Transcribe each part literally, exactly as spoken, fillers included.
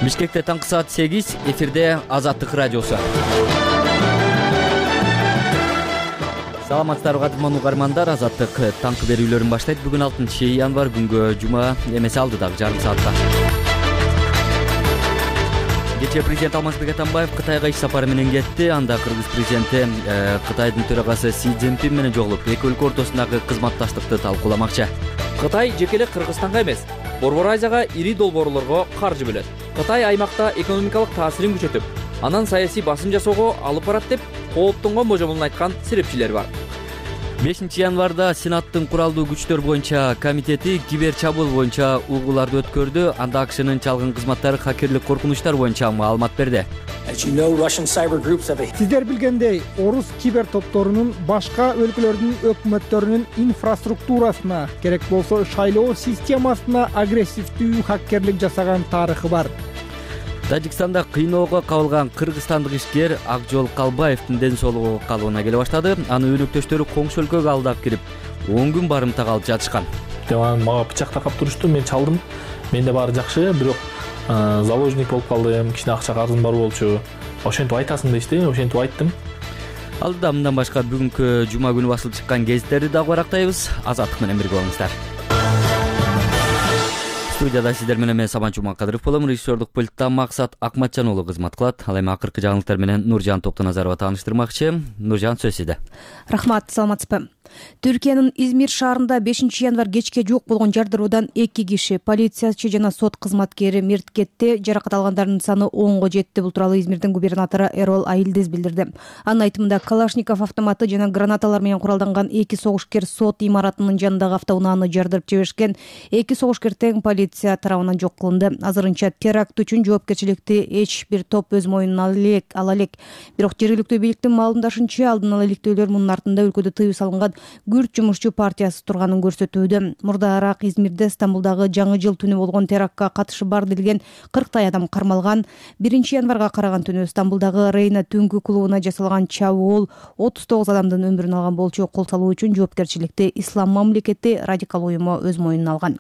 Бишкекте таңкы саат сегиз, эфирде Азаттык радиосу. Саламатсыздарбы кадырман угармандар, Азаттык таңкы берүүлөрүн баштайт. Бүгүн алтынчы январь, күнгө жума эмеси алдыдагы жарым саатта. Кечээ президент Алмазбек Атамбаев Кытайга иш сапары менен кетти. Анда Кыргыз президенти Кытайдын төрагасы Си Цзиньпин менен жолугуп, эки өлкө ортосундагы кызматташтыкты талкууламакчы. Кытай жеке эле Кыргызстанга эмес, Борбор Азияга ири долбоорлорго каржы бөлөт. Кытай аймакта экономикалык таасирин күчөтүп, анан саясий басым жасоого алып барат деп кооптонгон божомолун айткан серепчилер бар. бешинчи январда Сенаттын куралдуу күчтөр боюнча комитети кибер чабуул боюнча угууларды өткөрдү. Анда АКШнын чалгын кызматтары хакерлик коркунучтар боюнча маалымат берди. Сиздер билгендей, орус кибер топторунун башка өлкөлөрдүн өкмөттөрүнүн инфраструктурасына, керек болсо шайлоо системасына агрессивдүү хакерлик жасаган тарыхы бар. Тажикстанда кыйноого кабылган кыргызстандык ишкер Акжол Калбаевдин ден соолугу калыбына келе баштады. Анын өнөктөштөрү коңшу өлкөгө алдап кирип, он күн барымтага алып жатышкан. Мага пычак такап турушту, мен чалдым. Менде баары жакшы, бирок заложник болуп калдым, кичине акча карызым бар болчу. Ошентип айтасың дешти, ошентип айттым. Алдыда мындан башка бүгүнкү жума күнү басылып чыккан гезиттерди дагы барактайбыз. Азаттык менен бирге болуңуздар. Студияда сиздер менен мен Сабан Жумакадыров болом. Режиссердук пультта Максат Акматжан уулу кызмат кылат. Ал эми акыркы жаңылыктар менен Нуржан Токтоназарова тааныштырмакчы. Нуржан, сөз сизде. Рахмат, саламатсызбы? Түркиянын Измир шаарында бешинчи январь кечке жок болгон жардыруудан эки киши, полициячы жана сот кызматкери мерт кетти. Жаракат алгандардын саны онго жетти. Бул тууралуу Измирдин губернатору Эрол Айылдез билдирди. Анын айтымында Калашников автоматы жана гранаталар менен куралданган эки согушкер сот имаратынын жанындагы автоунааны жардырып жиберишкен. Эки согушкер тең полиция тарабынан жок кылынды. Азырынча теракт үчүн жоопкерчиликти эч бир топ өз мойнуна ала элек. Бирок жергиликтүү бийликтин маалымдашынча, алдын ала иликтөөлөр мунун артында өлкөдө тыюу салынган Күрт жумушчу партиясы турганын көрсөтүүдө. Мурдараак Измирде Стамбулдагы жаңы жыл түнү болгон терактка катышы бар делген кырктай адам кармалган. биринчи январга караган түнү Стамбулдагы Рейна түнгү клубуна жасалган чабуул отуз тогуз адамдын өмүрүн алган болчу. Кол салуу үчүн жоопкерчиликти Ислам мамлекети радикал уюму өз мойнуна алган.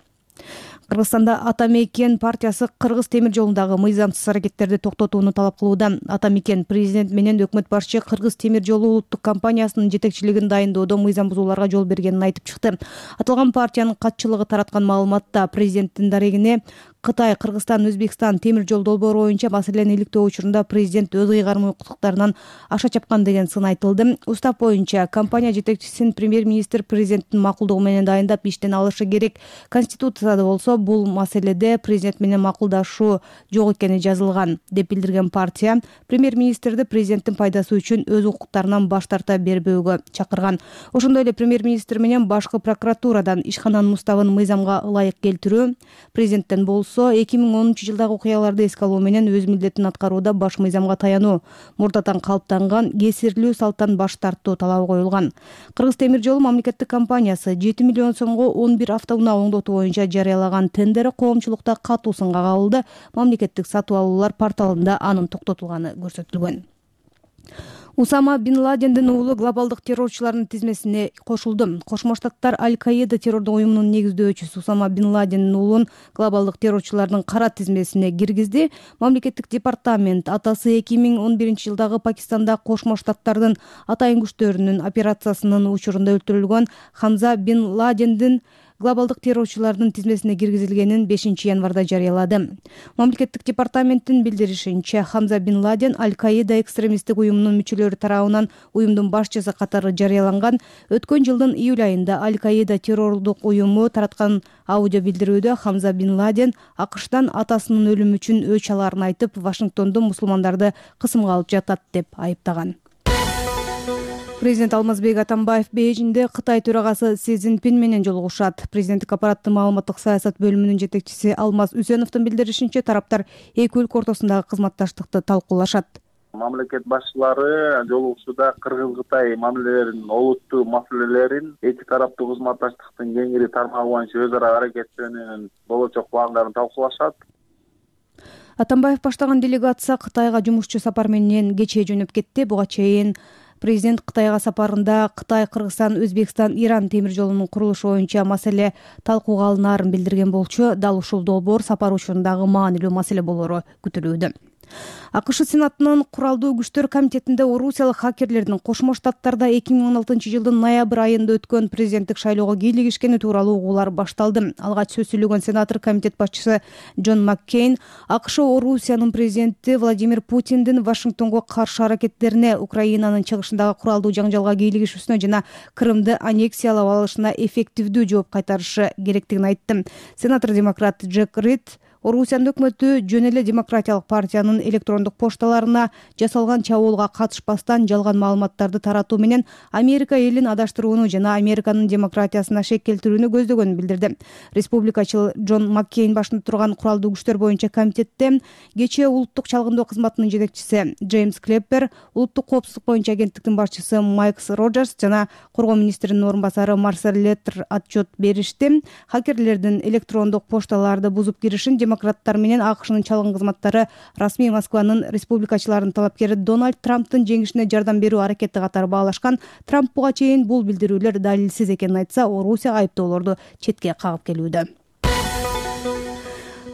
Кыргызстанда Атамекен партиясы Кыргыз темир жолундагы мыйзамсыз аракеттерди токтотууну талап кылууда. Атамекен президент менен өкмөт башчы Кыргыз темир жолу улуттук компаниясынын жетекчилигин дайындоодо мыйзам бузууларга жол бергенин айтып чыкты. Аталган партиянын катчылыгы тараткан маалыматта президенттин дарегине Кытай, Кыргызстан, Өзбекстан темир жол долбоору боюнча маселени иликтөө учурунда президент өз ыйгарым укуктарынан аша чапкан деген сын айтылды. Устав боюнча компания жетекчисин премьер-министр президенттин макулдугу менен дайындап иштен алышы керек. Конституцияда болсо бул маселеде президент менен макулдашуу жок экени жазылган, деп билдирген партия премьер-министрди президенттин пайдасы үчүн өз укуктарынан баш тарта бербөөгө чакырган. Ошондой эле премьер-министр менен башкы прокуратурадан ишкананын уставын мыйзамга ылайык келтирүү, президенттен болсо эки миң онунчу жылдагы окуяларды эске алуу менен өз милдетин аткарууда баш мыйзамга таянуу, мурдатан калыптанган кесирлүү салттан баш тартуу талабы коюлган. Кыргыз темир жолу мамлекеттик компаниясы жети миллион сомго он бир автоунаа оңдотуу боюнча жарыялаган тендери коомчулукта катуу сынга кабылды. Мамлекеттик сатып алуулар порталында анын токтотулганы көрсөтүлгөн. Усама бин Ладендин уулу глобалдык террорчулардын тизмесине кошулду. Кошмо Штаттар Аль-Каида террордук уюмунун негиздөөчүсү Усама бин Ладендин уулун глобалдык террорчулардын кара тизмесине киргизди. Мамлекеттик департамент атасы эки миң он биринчи жылдагы Пакистанда Кошмо Штаттардын атайын күчтөрүнүн операциясынын учурунда өлтүрүлгөн Хамза бин Ладендин глобалдык террорчулардын тизмесине киргизилгенин бешинчи январда жарыялады. Мамлекеттик департаменттин билдиришинче, Хамза бин Ладен Аль-Каида экстремисттик уюмунун мүчөлөрү тарабынан уюмдун башчысы катары жарыяланган. Өткөн жылдын июль айында Аль-Каида террордук уюму тараткан аудио билдирүүдө Хамза бин Ладен АКШтан атасынын өлүмү үчүн өч алаарын айтып, Вашингтондо мусулмандарды кысымга алып жатат деп айыптаган. Президент Алмазбек Атамбаев Бейжиңде Кытай төрагасы Си Цзиньпин менен жолугушат. Президенттик аппараттын маалыматтык саясат бөлүмүнүн жетекчиси Алмаз Үсеновдун билдиришинче, тараптар эки өлкө ортосундагы кызматташтыкты талкуулашат. Мамлекет башчылары жолугушууда Кыргыз-Кытай мамилелеринин олуттуу маселелерин, эки тараптуу кызматташтыктын кеңири тармагы боюнча өз ара аракеттенүүнүн болочок пландарын талкуулашат. Атамбаев баштаган делегация Кытайга жумушчу сапар менен кечээ жөнөп кетти. Буга чейин Президент Кытайга сапарында Кытай, Кыргызстан, Өзбекстан, Иран темир жолунун курулушу боюнча маселе талкууга алынаарын билдирген болчу. Дал ушул долбоор сапар учурундагы маанилүү маселе болору күтүлүүдө. АКШ Сенатынын Куралдуу күчтөр комитетинде орусиялык хакерлердин Кошмо Штаттарда эки миң он алтынчы жылдын ноябрь айында өткөн президенттик шайлоого кийлигишкени тууралуу угуулар башталды. Алгач сөз сүйлөгөн сенатор комитет башчысы Джон Маккейн АКШ Орусиянын президенти Владимир Путиндин Вашингтонго каршы аракеттерине, Украинанын чыгышындагы куралдуу жаңжалга кийлигишүүсүнө жана Крымды аннексиялап алышына эффективдүү жооп кайтарышы керектигин айтты. Сенатор демократ Джек Рид Орусиянын өкмөтү жөн эле Демократиялык партиянын электрондук пошталарына жасалган чабуулга катышпастан жалган маалыматтарды таратуу менен Америка элин адаштырууну жана Американын демократиясына шек келтирүүнү көздөгөнүн билдирди. Республикачыл Джон Маккейн башында турган куралдуу күчтөр боюнча комитетте кечээ улуттук чалгындоо кызматынын жетекчиси Джеймс Клеппер, улуттук коопсуздук боюнча агенттиктин башчысы Майкс Роджерс жана коргоо министринин орун басары Марсель Леттер отчет беришти. Хакерлердин электрондук пошталарды бузуп киришин демократтар менен АКШнын чалгын кызматтары расмий Москванын республикачыларынын талапкери Дональд Трамптын жеңишине жардам берүү аракети катары баалашкан. Трамп буга чейин бул билдирүүлөр далилсиз экенин айтса, Орусия айыптоолорду четке кагып келүүдө.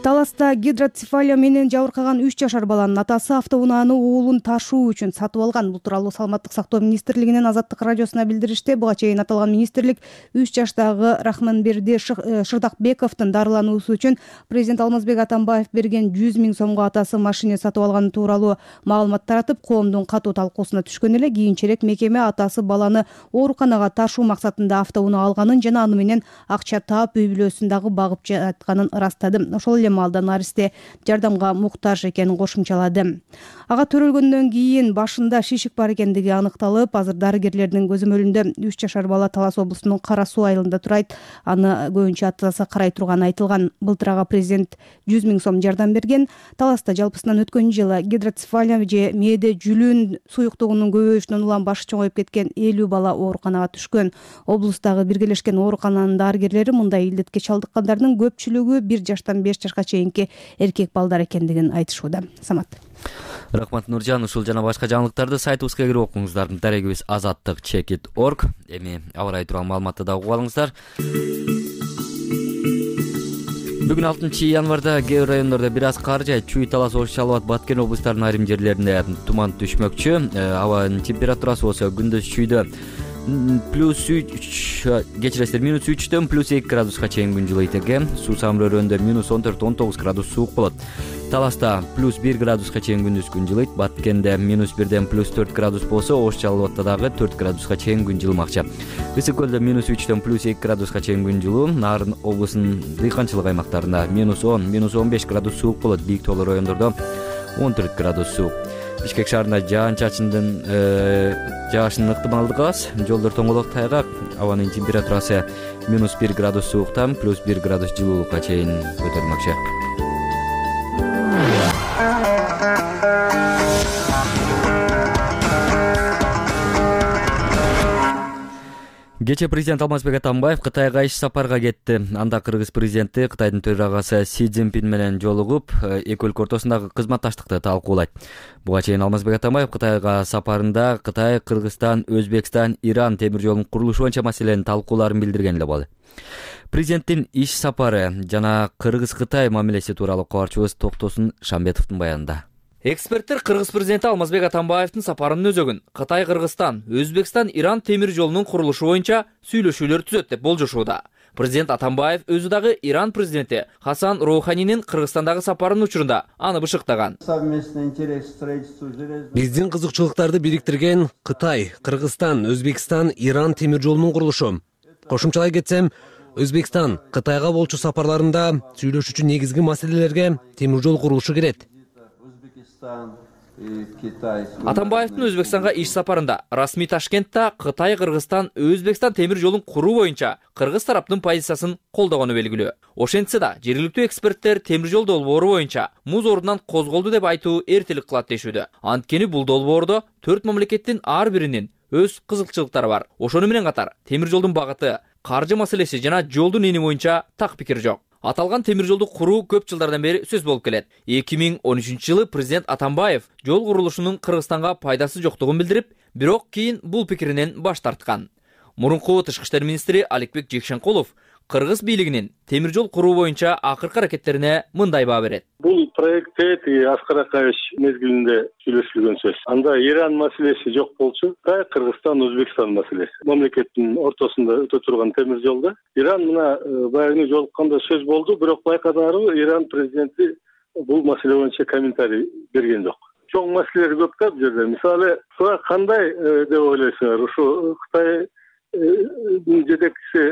Таласта гидроцефалия менен жабыркаган үч жашар баланын атасы автоунааны уулун ташуу үчүн сатып алган. Бул тууралуу Саламаттык сактоо министрлигинин Азаттык радиосуна билдиришти. Буга чейин аталган министрлик үч жаштагы Рахманберди Шырдакбековдун дарылануусу үчүн президент Алмазбек Атамбаев берген жүз миң сомго атасы машина сатып алганы тууралуу маалымат таратып, коомдун катуу талкуусуна түшкөн эле. Кийинчерээк мекеме атасы баланы ооруканага ташуу максатында автоунаа алганын жана аны менен акча таап үй бүлөсүн дагы багып жатканын ырастады. Ошол эле маалда наристе жардамга муктаж экенин кошумчалады. Ага төрөлгөндөн кийин башында шишик бар экендиги аныкталып, азыр дарыгерлердин көзөмөлүндө үч жашар бала Талас облусунун Кара Суу айылында турайт. Аны көбүнчө атасы карай турганы айтылган. Былтыр ага президент жүз миң сом жардам берген. Таласта жалпысынан өткөн жылы гидроцефалия же мээде жүлүн суюктугунун көбөйүшүнөн улам башы чоңоюп кеткен элүү бала ооруканага түшкөн. Облустагы биргелешкен оорукананын дарыгерлери мындай илдетке чалдыккандардын көпчүлүгү бир жаштан беш жашка чейинки эркек балдар экендигин айтышууда. Самат. Рахмат Нуржан. Ушул жана башка жаңылыктарды сайтыбызга кирип окуңуздар. Дарегибиз азаттык чекит точка орг. Эми аба ырайы тууралуу маалыматты да угуп алыңыздар. Бүгүн алтынчы январда кээ бир райондордо бир аз кар жайт. Чүй, Талас, Ош, Жалал Абад, Баткен облустарынын айрым жерлеринде туман түшмөкчү. Абанын температурасы болсо күндүз чүйдө плюс үч, кечиресиздер, минус үчтөн плюс эки градуска чейин күн жылыйт экен. Суу самрөөрөндө минус он төрт он тогуз градус суук болот. Таласта плюс бир градуска чейин күндүз күн жылыйт. Баткенде минус бирден плюс төрт градус болсо, Ош, Жалал Абадта дагы төрт градуска чейин күн жылымакчы. Ысык көлдө минус үчтөн плюс эки градуска чейин күн жылуу. Нарын облусунун дыйканчылык аймактарында минус он, минус он беш градус суук болот. Бийик тоолуу райондордо он төрт градус суук. Бишкек шаарында жаан-чачындын жаашынын ыктымалдыгы аз. Жолдор тоңолок, тайгак. Абанын температурасы минус бир градус сууктан плюс бир градус жылуулукка чейин көтөрүлмөкчү. Кечээ президент Алмазбек Атамбаев Кытайга иш сапарга кетти. Анда кыргыз президенти Кытайдын төрагасы Си Цзиньпин менен жолугуп, эки өлкө ортосундагы кызматташтыкты талкуулайт. Буга чейин Алмазбек Атамбаев Кытайга сапарында Кытай, Кыргызстан, Өзбекстан, Иран темир жолунун курулушу боюнча маселенин талкууларын билдирген эле болду. Президенттин иш сапары жана Кыргыз-Кытай мамилеси тууралуу кабарчыбыз Токтосун Шамбетовдун баянында. Эксперттер кыргыз президенти Алмазбек Атамбаевдин сапарынын өзөгүн Кытай, Кыргызстан, Өзбекстан, Иран темир жолунун курулушу боюнча сүйлөшүүлөр түзөт деп болжошууда. Президент Атамбаев өзү дагы Иран президенти Хасан Роуханинин Кыргызстандагы сапарынын учурунда аны бышыктаган. Биздин кызыкчылыктарды бириктирген Кытай, Кыргызстан, Өзбекстан, Иран темир жолунун курулушу. Кошумчалай кетсем, Өзбекстан Кытайга болчу сапарларында сүйлөшүүчү негизги маселелерге темир жол курулушу кирет. Атамбаевдин Өзбекстанга иш сапарында расмий Ташкентте Кытай, Кыргызстан, Өзбекстан темир жолун куруу боюнча кыргыз тараптын позициясын колдогону белгилүү. Ошентсе да, жергиликтүү эксперттер темир жол долбоору боюнча муз ордунан козголду деп айтуу эртелик кылат дешүүдө. Анткени бул долбоордо төрт мамлекеттин ар биринин өз кызыкчылыктары бар. Ошону менен катар темир жолдун багыты, каржы маселеси жана жолдун эни боюнча так пикир жок. Аталган темир жолду куруу көп жылдардан бери сөз болуп келет. эки миң он үчүнчү жылы президент Атамбаев жол курулушунун Кыргызстанга пайдасы жоктугун билдирип, бирок кийин бул пикиринен баш тарткан. Мурунку тышкы иштер министри Аликбек Жекшенкулов Кыргыз бийлигинин темир жол куруу боюнча акыркы аракеттерине мындай баа берет. Бул проектте Аскар Акаевич мезгилинде сүйлөшүлгөн сөз. Анда Иран маселеси жок болчу, Кыргызстан, Өзбекстан маселеси. Мамлекеттин ортосунда өтө турган темир жолда Иран мына баягы жолукканда сөз болду, бирок байкадарбы Иран президенти бул маселе боюнча комментарий берген жок. Чоң маселелер көп да бул жерде. Мисалы, буга кандай деп ойлойсуңар? Ушу Кытай жетекчиси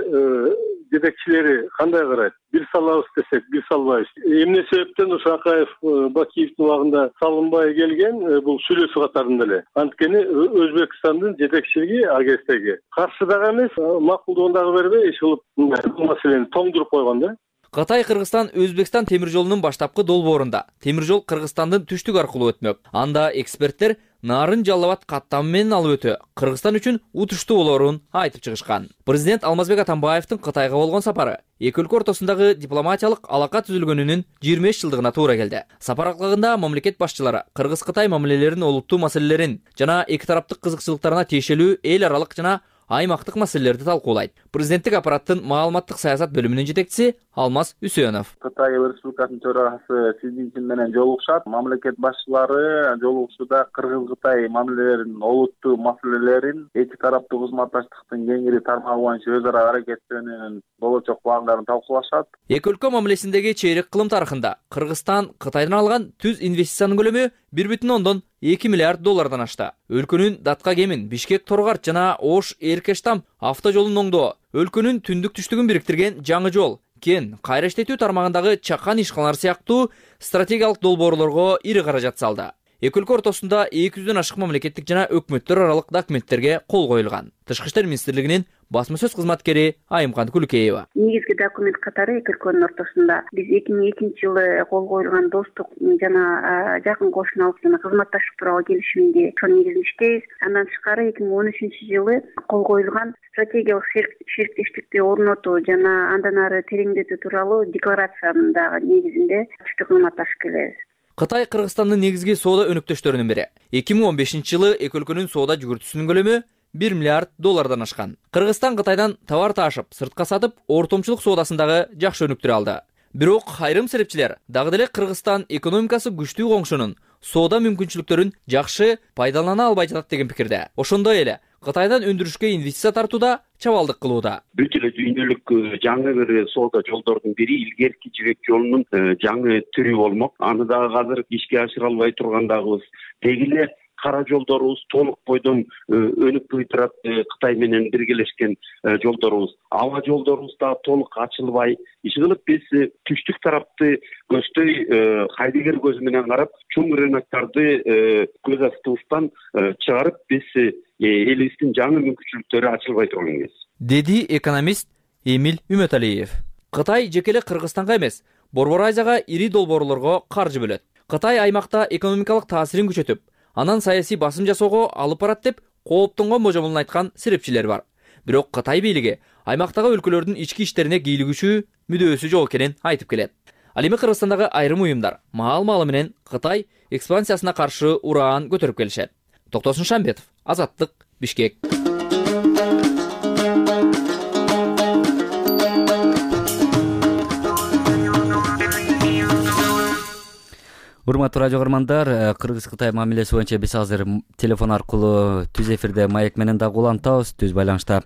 жетекчилери кандай карайт? Бир салабыз десек, бир салбайбыз. Эмне себептен ушу Акаев Бакиевдин убагында салынбай келген бул сүйлөшүү катарында эле. Анткени Өзбекстандын жетекчилиги АГСтеги каршы дагы эмес, макулдоону бербей, иш кылып бул маселени тоңдуруп койгон да. Кытай Кыргызстан Өзбекстан темир жолунун баштапкы долбоорунда темир жол Кыргызстандын түштүк аркылуу өтмөк. Анда эксперттер Нарын Жалал Абад каттамы менен алып өтүү Кыргызстан үчүн утуштуу болоорун айтып чыгышкан. Президент Алмазбек Атамбаевдин Кытайга болгон сапары эки өлкө ортосундагы дипломатиялык алака түзүлгөнүнүн жыйырма беш жылдыгына туура келди. Сапар аклагында мамлекет башчылары Кыргыз-Кытай мамилелеринин олуттуу маселелерин жана эки тараптык кызыкчылыктарына тиешелүү эл аралык жана аймактык маселелерди талкуулайт. Президенттик аппараттын маалыматтык саясат бөлүмүнүн жетекчиси Алмаз Үсөнов. Кытай Республикасынын төрагасы Си Цзиньпин менен жолугушат. Мамлекет башчылары жолугушууда Кыргыз-Кытай мамилелеринин олуттуу маселелерин, эки тараптуу кызматташтыктын кеңири тармагы боюнча өз ара аракеттенүүнүн болочок пландарын талкуулашат. Эки өлкө мамилесиндеги чейрек кылым тарыхында Кыргызстан Кытайдан алган түз инвестициянын көлөмү бир бүтүн ондон эки миллиард доллардан ашты. Өлкөнүн Датка кемин, Бишкек Торгарт жана Ош Эркештам автожолун оңдоо, өлкөнүн түндүк түштүгүн бириктирген жаңы жол, кен, кайра иштетүү тармагындагы чакан ишканалар сыяктуу стратегиялык долбоорлорго ири каражат салды. Эки өлкө ортосунда эки жүздөн ашык мамлекеттик жана өкмөттөр аралык документтерге кол коюлган. Тышкы иштер министрлигинин басма сөз кызматкери Айымкан Күлкеева. Негизги документ катары эки өлкөнүн ортосунда биз эки миң экинчи жылы кол коюлган достук жана жакын кошуналык жана кызматташтык тууралуу келишимге ошонун негизинде иштейбиз. Андан тышкары эки миң он үчүнчү жылы кол коюлган стратегиялык шериктештикти орнотуу жана андан ары тереңдетүү тууралуу декларациянын дагы негизинде түштүк кызматташып келебиз. Кытай Кыргызстандын негизги соода өнөктөштөрүнүн бири. эки миң он бешинчи жылы эки өлкөнүн соода жүгүртүүсүнүн көлөмү бир миллиард доллардан ашкан. Кыргызстан Кытайдан товар таашып, сыртка сатып, ортомчулук соодасындагы жакшы өнүктүрө алды. Бирок айрым серепчилер дагы деле Кыргызстан экономикасы күчтүү коңшунун соода мүмкүнчүлүктөрүн жакшы пайдалана албай жатат деген пикирде. Ошондой эле Кытайдан өндүрүшкө инвестиция тартууда чабалдык кылууда. Бүт эле дүйнөлүк жаңы бир соода жолдордун бири илгерки жибек жолунун жаңы түрү болмок. Аны дагы азыр ишке ашыра албай тургандагыбыз. Деги эле кара жолдорубуз толук бойдон өнүкпөй турат Кытай менен биргелешкен жолдорубуз. Аба жолдорубуз да толук ачылбай, иш кылып биз түштүк тарапты көздөй хайдыгер көзү менен карап, чоң рыноктарды көз астыбыздан чыгарып, биз элибиздин жаңы мүмкүнчүлүктөрү ачылбай турган кез. Деди экономист Эмиль Үмөталиев. Кытай жекеле Кыргызстанга эмес, Борбор Азияга ири долбоорлорго каржы бөлөт. Кытай аймакта экономикалык таасирин күчөтүп, анан саясий басым жасоого алып барат деп кооптонгон божомолун айткан серепчилер бар. Бирок Кытай бийлиги аймактагы өлкөлөрдүн ички иштерине кийлигүүчү мүдөөсү жок экенин айтып келет. Ал эми Кыргызстандагы айрым уюмдар маал-маалы менен Кытай экспансиясына каршы ураан көтөрүп келишет. Токтосун Шамбетов, Азаттык, Бишкек. Урматтуу радио көрөрмандар, Кыргыз-Кытай мамилеси боюнча биз азыр телефон аркылуу түз эфирде маек менен дагы улантабыз. Түз байланышта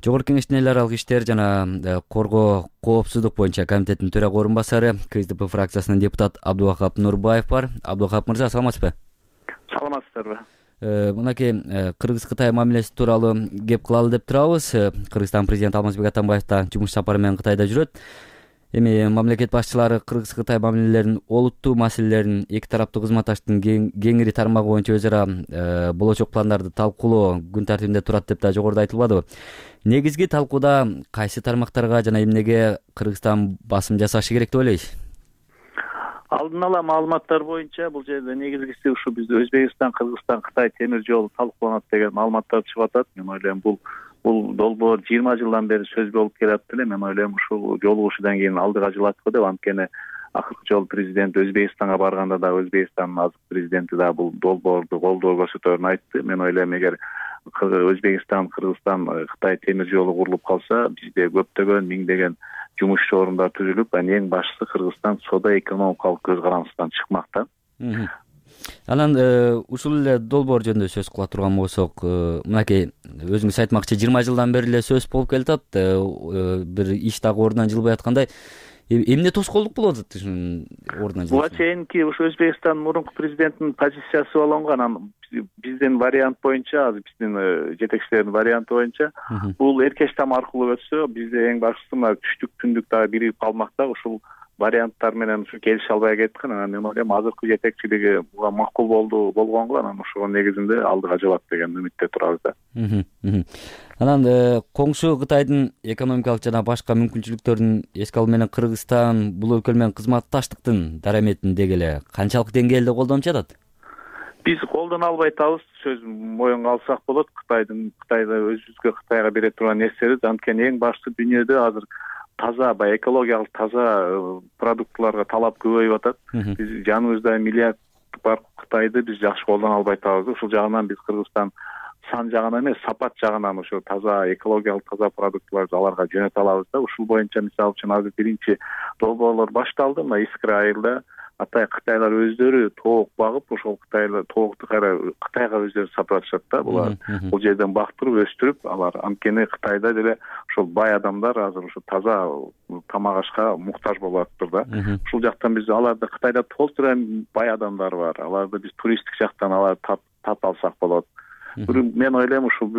Жогорку Кеңештин эл аралык иштер жана коргоо коопсуздук боюнча комитеттин төрага орун басары КСДП фракциясынын депутат Абдувахап Нурбаев бар. Абдувахап мырза, саламатсызбы? Саламатсыздарбы? Мынакей Кыргыз-Кытай мамилеси тууралуу кеп кылалы деп турабыз. Кыргызстан президенти Алмазбек Атамбаев да жумуш сапары менен Кытайда жүрөт. Эми мамлекет башчылары Кыргыз-Кытай мамилелеринин олуттуу маселелерин, эки тараптуу кызматташтыктын кеңири тармагы боюнча өз ара болочок пландарды талкуулоо күн тартибинде турат деп да жогоруда айтылбадыбы? Негизги талкууда кайсы тармактарга жана эмнеге Кыргызстан басым жасашы керек деп ойлойсуз? Алдын ала маалыматтар боюнча бул жерде негизгиси ушу бизде Өзбекстан, Кыргызстан, Кытай темир жолу талкууланат деген маалыматтар чыгып атат. Мен ойлойм бул бул долбоор жыйырма жылдан бери сөз болуп келатты эле. Мен ойлойм ушул жолугушуудан кийин алдыга жылат го деп, анткени акыркы жолу президент Өзбекстанга барганда да Өзбекстандын азыркы президенти да бул долбоорду колдоо көрсөтөөрүн айтты. Мен ойлойм эгер Өзбекстан, Кыргызстан, Кытай темир жолу курулуп калса, бизде көптөгөн миңдеген жумуш орундар түзүлүп, анан эң башкысы Кыргызстан соода экономикалык көз карандысынан чыкмак да. Анан ушул эле долбоор жөнүндө сөз кыла турган болсок, мынакей өзүңүз айтмакчы жыйырма жылдан бери эле сөз болуп келатат, бир иш дагы ордунан жылбай аткандай. Эмне тоскоолдук болуп атат ушунун ордуна? Буга чейинки ушу Өзбекстандын мурунку президентинин позициясы болгон, анан биздин вариант боюнча, азыр биздин жетекчилердин варианты боюнча бул эркеш там аркылуу өтсө, бизде эң башкысы мына түштүк түндүк дагы биригип калмак да. Ушул варианттар менен ушу келише албай кеткен. Анан мен ойлойм азыркы жетекчилиги буга макул болду болгонго, анан ошого негизинде алдыга жылат деген үмүттө турабыз да. Анан коңшу Кытайдын экономикалык жана башка мүмкүнчүлүктөрүн эске алуу менен Кыргызстан бул өлкө менен кызматташтыктын дараметин деги эле канчалык деңгээлде колдонуп жатат? Биз колдоно албай атабыз, сөз моюнга алсак болот. Кытайдын Кытайда өзүбүзгө Кытайга бере турган нерселер, анткени эң башкысы дүйнөдө азыр таза, баягы экологиялык таза продуктларга талап көбөйүп атат. Биз жаныбызда миллиард бар Кытайды биз жакшы колдоно албай атабыз. Ушул жагынан биз Кыргызстан сан жагынан эмес, сапат жагынан ошо таза экологиялык таза продуктларды аларга жөнөтө алабыз да. Ушул боюнча мисалы үчүн азыр биринчи долбоорлор башталды. Мына Искра айылда атай Кытайлар өздөрү тоок багып, ошол Кытайлар тоокту кайра Кытайга өздөрү сатып атышат да. Булар бул жерден бактырып өстүрүп, алар анткени Кытайда деле ошол бай адамдар азыр ошо таза тамак ашка муктаж болуп атыптыр да. Ушул жактан биз аларды Кытайда толтура бай адамдар бар. Аларды биз туристтик жактан аларды тап алсак болот. Мен ойлойм ушул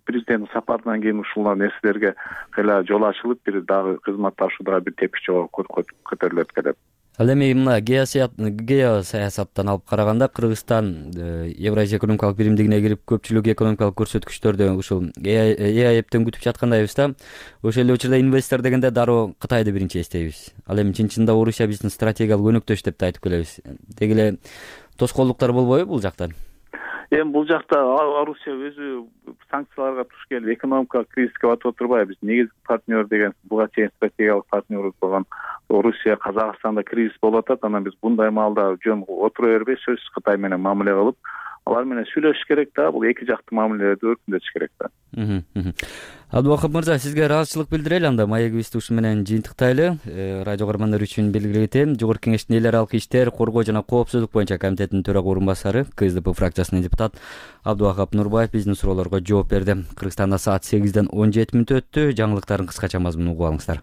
президенттин сапарынан кийин ушул нерселерге кыйла жол ачылып, бир дагы кызматташууга бир тепкич жолго көтөрүлөт келет. Ал эми мына геосаясаттан алып караганда Кыргызстан Евразия экономикалык биримдигине кирип көпчүлүк экономикалык көрсөткүчтөрдө ушул Э А Эптен күтүп жаткандайбыз да. Ошол эле учурда инвестор дегенде дароо Кытайды биринчи эстейбиз. Ал эми чын-чынында Орусия биздин стратегиялык өнөктөш деп да айтып келебиз. Деги эле тоскоолдуктар болбойбу бул жактан? Эми бул жакта Орусия өзү санкцияларга туш келип экономикалык кризиске батып отурбайбы? Биз негизги партнер деген буга чейин стратегиялык партнерибиз болгон Орусия, Казакстанда кризис болуп атат. Анан биз bunday маалда жөн отура бербей, сөзсүз Кытай менен мамиле кылып, алар менен сүйлөшүш керек да. Бул эки жактуу мамилелерди өркүндөтүш керек да. Абдубакыт мырза, сизге ыраазычылык билдирели. Анда маегибизди ушу менен жыйынтыктайлы. Радио көрөрмандар үчүн белгилей кетем, Жогорку Кеңештин эл аралык иштер, коргоо жана коопсуздук боюнча комитетинин төрага орун басары, К С D P фракциясынын депутат Абдубакыт Нурбаев биздин суроолорго жооп берди. Кыргызстанда саат сегизден он жети мүнөт өттү. Жаңылыктардын кыскача мазмунун угуп алыңыздар.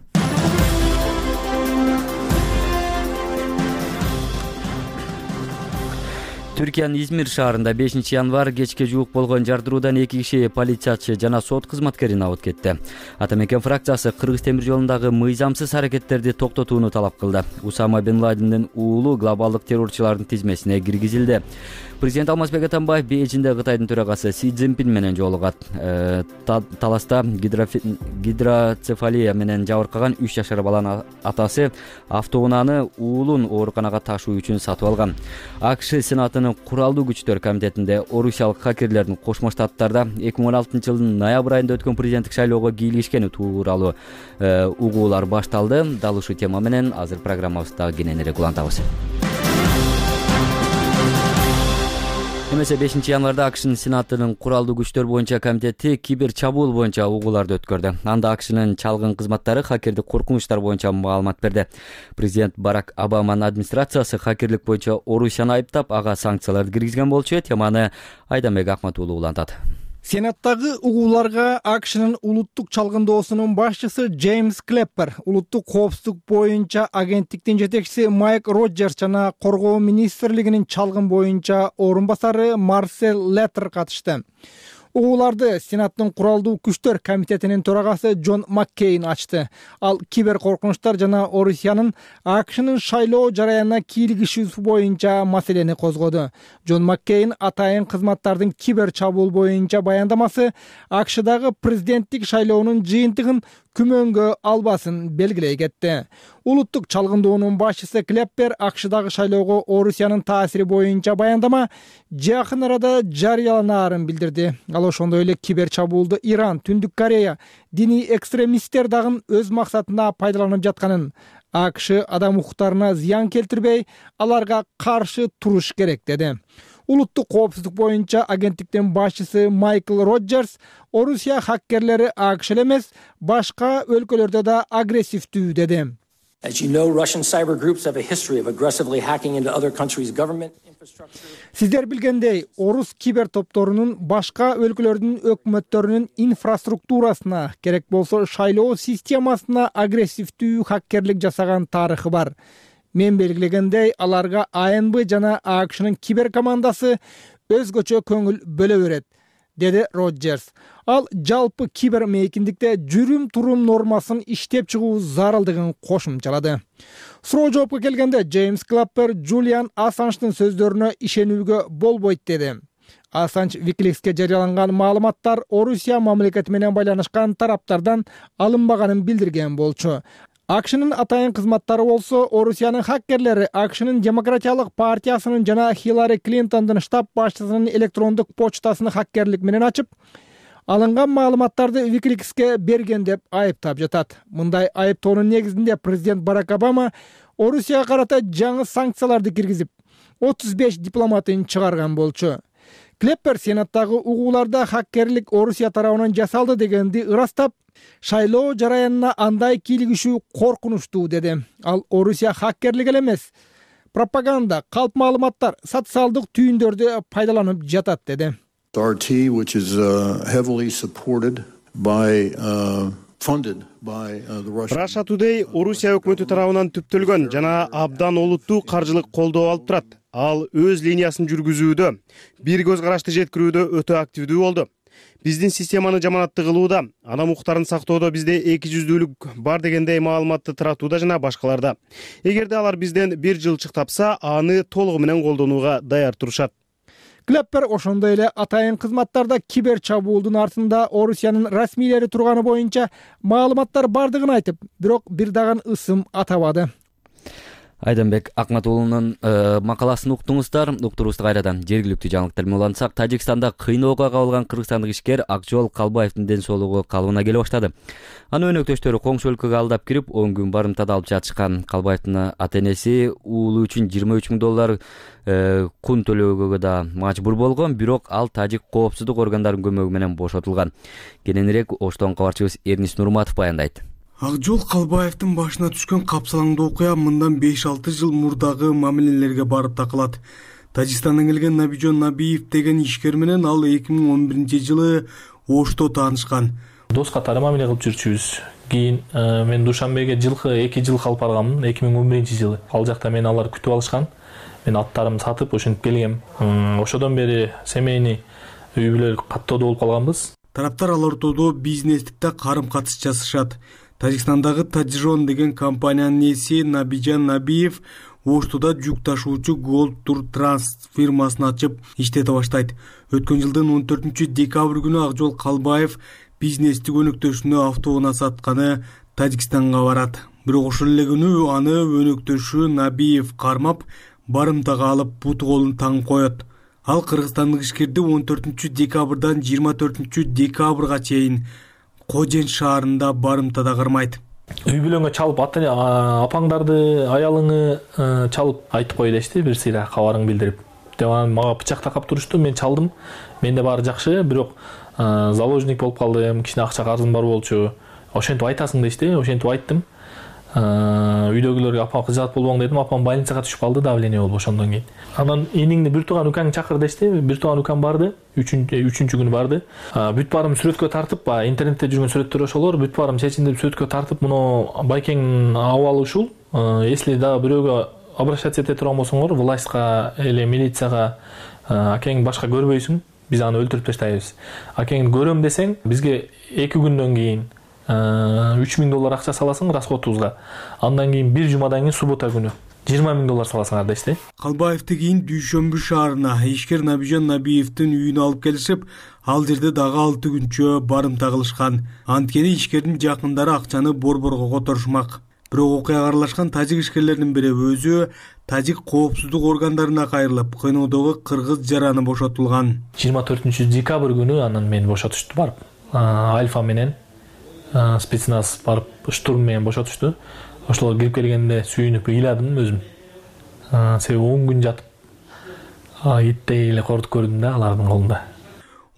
Түркиянын Измир шаарында бешинчи январь кечке жуук болгон жардыруудан эки киши полициячы жана сот кызматкерин абыт кетти. Ата мекен фракциясы Кыргыз темир жолундагы мыйзамсыз аракеттерди токтотууну талап кылды. Усама бен Ладендин уулу глобалдык террорчулардын тизмесине киргизилди. Президент Алмазбек Атамбаев Бейжиңде Кытайдын төрагасы Си Цзиньпин менен жолугат. Таласта гидроцефалия менен жабыркаган үч жашар баланын атасы автоунааны уулун ооруканага ташуу үчүн сатып алган. АКШ Сенатынын куралдуу күчтөр комитетинде орусиялык хакерлердин Кошмо Штаттарда эки миң он алтынчы жылдын ноябрь айында өткөн президенттик шайлоого кийлигишкени тууралуу угуулар башталды. Дал ушул тема менен азыр программабызда кененирээк улантабыз. Эмесе бешинчи январда АКШнын Сенатынын куралдуу күчтөр боюнча комитети кибер чабуул боюнча угууларды өткөрдү. Анда АКШнын чалгын кызматтары хакердик коркунучтар боюнча маалымат берди. Президент Барак Обаманын администрациясы хакерлик боюнча Орусияны айыптап, ага санкцияларды киргизген болчу. Теманы Айдамбек Акмат уулу улантат. Сенаттагы угууларга АКШнын улуттук чалгындоосунун башчысы Джеймс Клеппер, улуттук коопсуздук боюнча агенттиктин жетекчиси Майк Роджерс жана коргоо министрлигинин чалгын боюнча орун басары Марсел Леттер катышты. Угууларды Сенаттын куралдуу күчтөр комитетинин төрагасы Джон Маккейн ачты. Ал кибер коркунучтар жана Орусиянын АКШнын шайлоо жараянына кийлигишүүсү боюнча маселени козгоду. Джон Маккейн атайын кызматтардын кибер чабуул боюнча баяндамасы АКШдагы президенттик шайлоонун жыйынтыгын күмөнгө албасын белгилей кетти. Улуттук чалгындоонун башчысы Клеппер АКШдагы шайлоого Орусиянын таасири боюнча баяндама жакын арада жарыяланаарын билдирди. Ал ошондой эле кибер чабуулду Иран, Түндүк Корея, диний экстремисттер дагы өз максатына пайдаланып жатканын, АКШ адам укуктарына зыян келтирбей, аларга каршы туруш керек деди. Улуттук коопсуздук боюнча агенттиктин башчысы Майкл Роджерс Орусия хаккерлери АКШ эле эмес, башка өлкөлөрдө да агрессивдүү деди. As you know, Russian cyber groups have a history of aggressively hacking into other countries' government infrastructure. Сиздер билгендей, орус кибер топторунун башка өлкөлөрдүн өкмөттөрүнүн инфраструктурасына, керек болсо шайлоо системасына агрессивдүү хаккерлик жасаган тарыхы бар. Мен белгилегендей, аларга АНБ жана АКШнын кибер командасы өзгөчө көңүл бөлө берет, деди Роджерс. Ал жалпы кибер мейкиндикте жүрүм-турум нормасын иштеп чыгуу зарылдыгын кошумчалады. Суроо жоопко келгенде Джеймс Клеппер Джулиан Ассанждын сөздөрүнө ишенүүгө болбойт деди. Ассанж Викиликске жарыяланган маалыматтар Орусия мамлекети менен байланышкан тараптардан алынбаганын билдирген болчу. АКШнын атайын кызматтары болсо Орусиянын хаккерлери АКШнын Демократиялык партиясынын жана Хиллари Клинтондун штаб башчысынын электрондук почтасын хаккерлик менен ачып, алынган маалыматтарды Викиликске берген деп айыптап жатат. Мындай айыптоонун негизинде президент Барак Обама Орусияга карата жаңы санкцияларды киргизип, отуз беш дипломатын чыгарган болчу. Клеппер Сенаттагы угууларда хаккерлик Орусия тарабынан жасалды дегенди ырастап, шайлоо жараянына андай кийлигишүү коркунучтуу деди. Ал Орусия хаккерлик эле эмес, пропаганда, калп маалыматтар, социалдык түйүндөрдү пайдаланып жатат деди. R T, which is uh, heavily supported by uh, funded by uh, the Russian. Russia Today Орусия өкмөтү тарабынан түптөлгөн жана абдан олуттуу каржылык колдоо алып турат. Ал өз линиясын жүргүзүүдө, бир көз карашты жеткирүүдө өтө активдүү болду. Биздин системаны жаманаттуу кылууда, адам укуктарын сактоодо бизде эки жүздүүлүк бар дегендей маалыматты таратууда жана башкаларда. Эгерде алар бизден бир жылчык тапса, аны толугу менен колдонууга даяр турушат. Клеппер ошондой эле атайын кызматтарда кибер чабуулдун артында Орусиянын расмийлери турганы боюнча маалыматтар бардыгын айтып, бирок бир дагы ысым атабады. Айданбек Акматуулунун макаласын уктуңуздар. Уктуруубузду кайрадан жергиликтүү жаңылыктар менен улантсак, Тажикстанда кыйноого кабылган кыргызстандык ишкер Акжол Калбаевдин ден соолугу калыбына келе баштады. Анын өнөктөштөрү коңшу өлкөгө алдап кирип, он күн барымтада алып жатышкан. Калбаевдин ата-энеси уулу үчүн жыйырма үч миң доллар кун төлөөгө да мажбур болгон, бирок ал тажик коопсуздук органдарынын көмөгү менен бошотулган. Кененирээк Оштон кабарчыбыз Эрнис Нурматов баяндайт. Акжол Калбаевдин башына түшкөн капсалаңдуу окуя мындан беш алты жыл мурдагы мамилелерге барып такылат. Тажикстандан келген Набижон Набиев деген ишкер менен ал эки миң он биринчи жылы Ошто таанышкан. Дос катары мамиле кылып жүрчүбүз. Кийин мен Душанбеге жылкы эки жыл калып барганмын, эки миң он биринчи жылы. Ал жакта мени алар күтүп алышкан. Мен аттарымды сатып ошентип келгем. Ошодон бери семейный үй бүлө каттоодо болуп калганбыз. Тараптар ал ортодо бизнестикте карым-катыш жасашат. Тажикстандагы Таджирон деген компаниянын ээси Набижан Набиев Оштода жүк ташуучу Gold Tour Trans фирмасын ачып иштете баштайт. Өткөн жылдын он төртүнчү декабрь күнү Акжол Калбаев бизнестик өнөктөшүнө автоунаа сатканы Тажикстанга барат. Бирок ошол эле күнү аны өнөктөшү Набиев кармап, барымтага алып буту колун таңып коет. Ал кыргызстандык ишкерди он төртүнчү декабрдан жыйырма төртүнчү декабрга чейин Кожен шаарында барымтада кырмайт. Үй бүлөңө чалып, апаңдарды, аялыңы чалып айтып кой дешти, бир сыйра кабарың билдирип. Деп анан мага бычак такап турушту, мен чалдым. Менде баары жакшы, бирок заложник болуп калдым, кичине акча карызым бар болчу. Ошентип айтасың дешти, ошентип айттым. Үйдөгүлөргө апам кызат болбоң дедим, апам больницага түшүп калды, давление болуп ошондон кийин. Анан эниңди бир тууган укаңды чакыр дешти, бир тууган укам барды, үчүнчү күнү барды. Бүт баарым сүрөткө тартып, интернетте жүргөн сүрөттөр ошолор, бүт баарым чечиндирип сүрөткө тартып, муну байкеңдин абалы ушул. Если дагы бирөөгө обращаться эте турган болсоңор, властька эле милицияга акең башка көрбөйсүң, биз аны өлтүрүп таштайбыз. Акеңди көрөм десең, бизге эки күндөн кийин үч миң доллар акча саласың расходубузга. Андан кийин бир жумадан кийин суббота күнү жыйырма миң доллар саласыңар дешти. Калбаевди кийин Дүйшөмбү шаарына ишкер Набижан Набиевдин үйүнө алып келишип, ал жерде дагы алты күнчө барымта кылышкан. Анткени ишкердин жакындары акчаны борборго которушмак. Бирок окуяга аралашкан тажик ишкерлердин бири өзү тажик коопсуздук органдарына кайрылып, кыйноодогу кыргыз жараны бошотулган. жыйырма төртүнчү декабрь күнү анан мени бошотушту барып. Альфа менен спецназ барып штурм менен бошотушту. Ошол кирип келгенде сүйүнүп ыйладым өзүм. Себеби он күн жатып иттей эле кордук көрдүм да алардын колунда.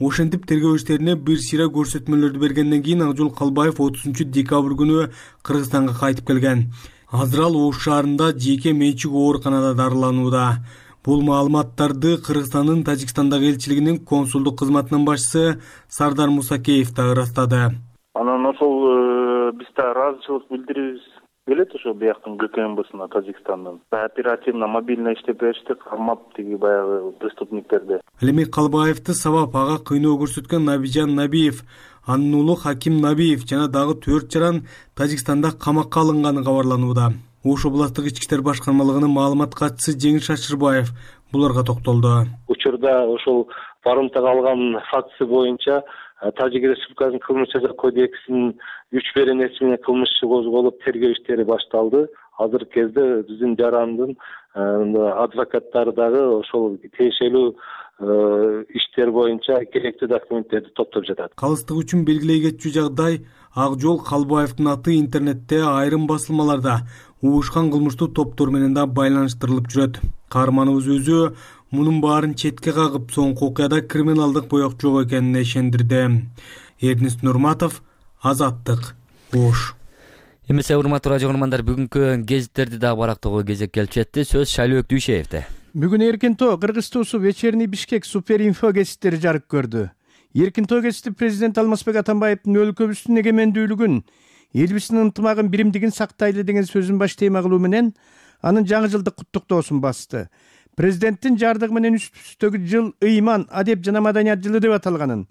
Ошентип тергөө иштерине бир сыйра көрсөтмөлөрдү бергенден кийин Акжол Калбаев отузунчу декабрь күнү Кыргызстанга кайтып келген. Азыр ал Ош шаарында жеке менчик ооруканада дарыланууда. Бул маалыматтарды Кыргызстандын Тажикстандагы элчилигинин консулдук кызматынын башчысы Сардар Мусакеев да ырастады. Анан ошол биз да ыраазычылык билдирибиз келет ошо бияктын ГКМБсына Тажикстандын. Оперативно мобильный иштеп беришти, кармап тиги баягы преступниктерди. Ал эми Калбаевди сабап ага кыйноо көрсөткөн Набижан Набиев, анын уулу Хаким Набиев жана дагы төрт жаран Тажикстанда камакка алынганы кабарланууда. Ош областык ички иштер башкармалыгынын маалымат катчысы Жеңиш Шашырбаев буларга токтолду. Учурда ошол барымтага алган фактысы боюнча Тажик Республикасынын кылмыш жаза кодексинин үч беренеси менен кылмыш иши козголуп, тергөө иштери башталды. Азыркы кезде биздин жарандын адвокаттары дагы ошол тиешелүү иштер боюнча керектүү документтерди топтоп жатат. Калыстык үчүн белгилей кетчү жагдай Акжол Калбаевдин аты интернетте айрым басылмаларда уушкан кылмыштуу топтор менен да байланыштырылып жүрөт. Каарманыбыз өзү мунун баарын четке кагып, соңку окуяда криминалдык боек жок экенине ишендирди. Эрнест Нурматов, Азаттык, Ош. Эмесе урматтуу радио көрөрмандар, бүгүнкү гезиттерди дагы барактоого кезек келип жетти. Сөз Шайлообек Дүйшеевде. Бүгүн Эркин тоо Кыргыз туусу Вечерний Бишкек суперинфо гезиттери жарык көрдү. Эркин тоо гезити президент Алмазбек Атамбаевдин өлкөбүздүн эгемендүүлүгүн, элибиздин ынтымагын, биримдигин сактайлы деген сөзүн баш тема кылуу менен анын жаңы жылдык куттуктоосун басты. Президенттин жардыгы менен үстүбүздөгү жыл ыйман, адеп жана маданият жылы деп аталганын,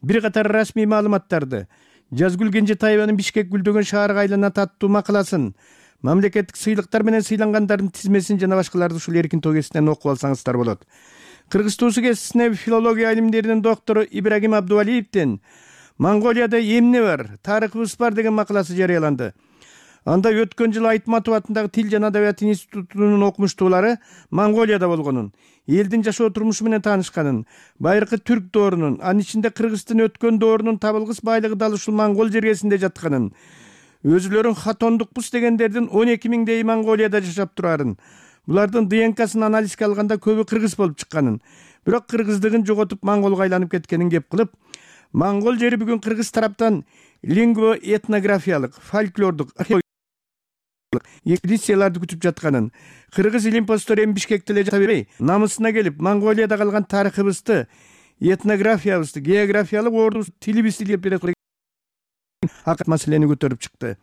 бир катар расмий маалыматтарды, Жазгүл Кенжетаеванын Бишкек гүлдөгөн шаарга айланат аттуу макаласын, мамлекеттик сыйлыктар менен сыйлангандардын тизмесин жана башкаларды ушул Эркин тоо гезитинен окуп алсаңыздар болот. Кыргыз туусу гезитине филология илимдеринин доктору Ибрагим Абдувалиевдин Монголияда эмне бар, тарыхыбыз бар деген макаласы жарыяланды. Анда өткөн жылы Айтматов атындагы Тил жана Адабият институтунун окумуштуулары Монголияда болгонун, элдин жашоо турмушу менен таанышканын, байыркы түрк доорунун, анын ичинде Кыргыздын өткөн доорунун табылгыс байлыгы дал ушул Монгол жергесинде жатканын, өзүлөрүн хатондукпуз дегендердин он эки миңдей Монголияда жашап турарын, булардын ДНКсын анализге алганда көбү кыргыз болуп чыкканын, бирок кыргыздыгын жоготуп монголго айланып кеткенин кеп кылып, Монгол жери бүгүн кыргыз тараптан лингвоэтнографиялык, фольклордук, экспедицияларды күтүп жатканын, кыргыз илимпоздор эми Бишкекте эле жата бербей, намысына келип, Монголияда калган тарыхыбызды, этнографиябызды, географиялык ордубузду, тилибизди илип берет акыт маселени көтөрүп чыкты.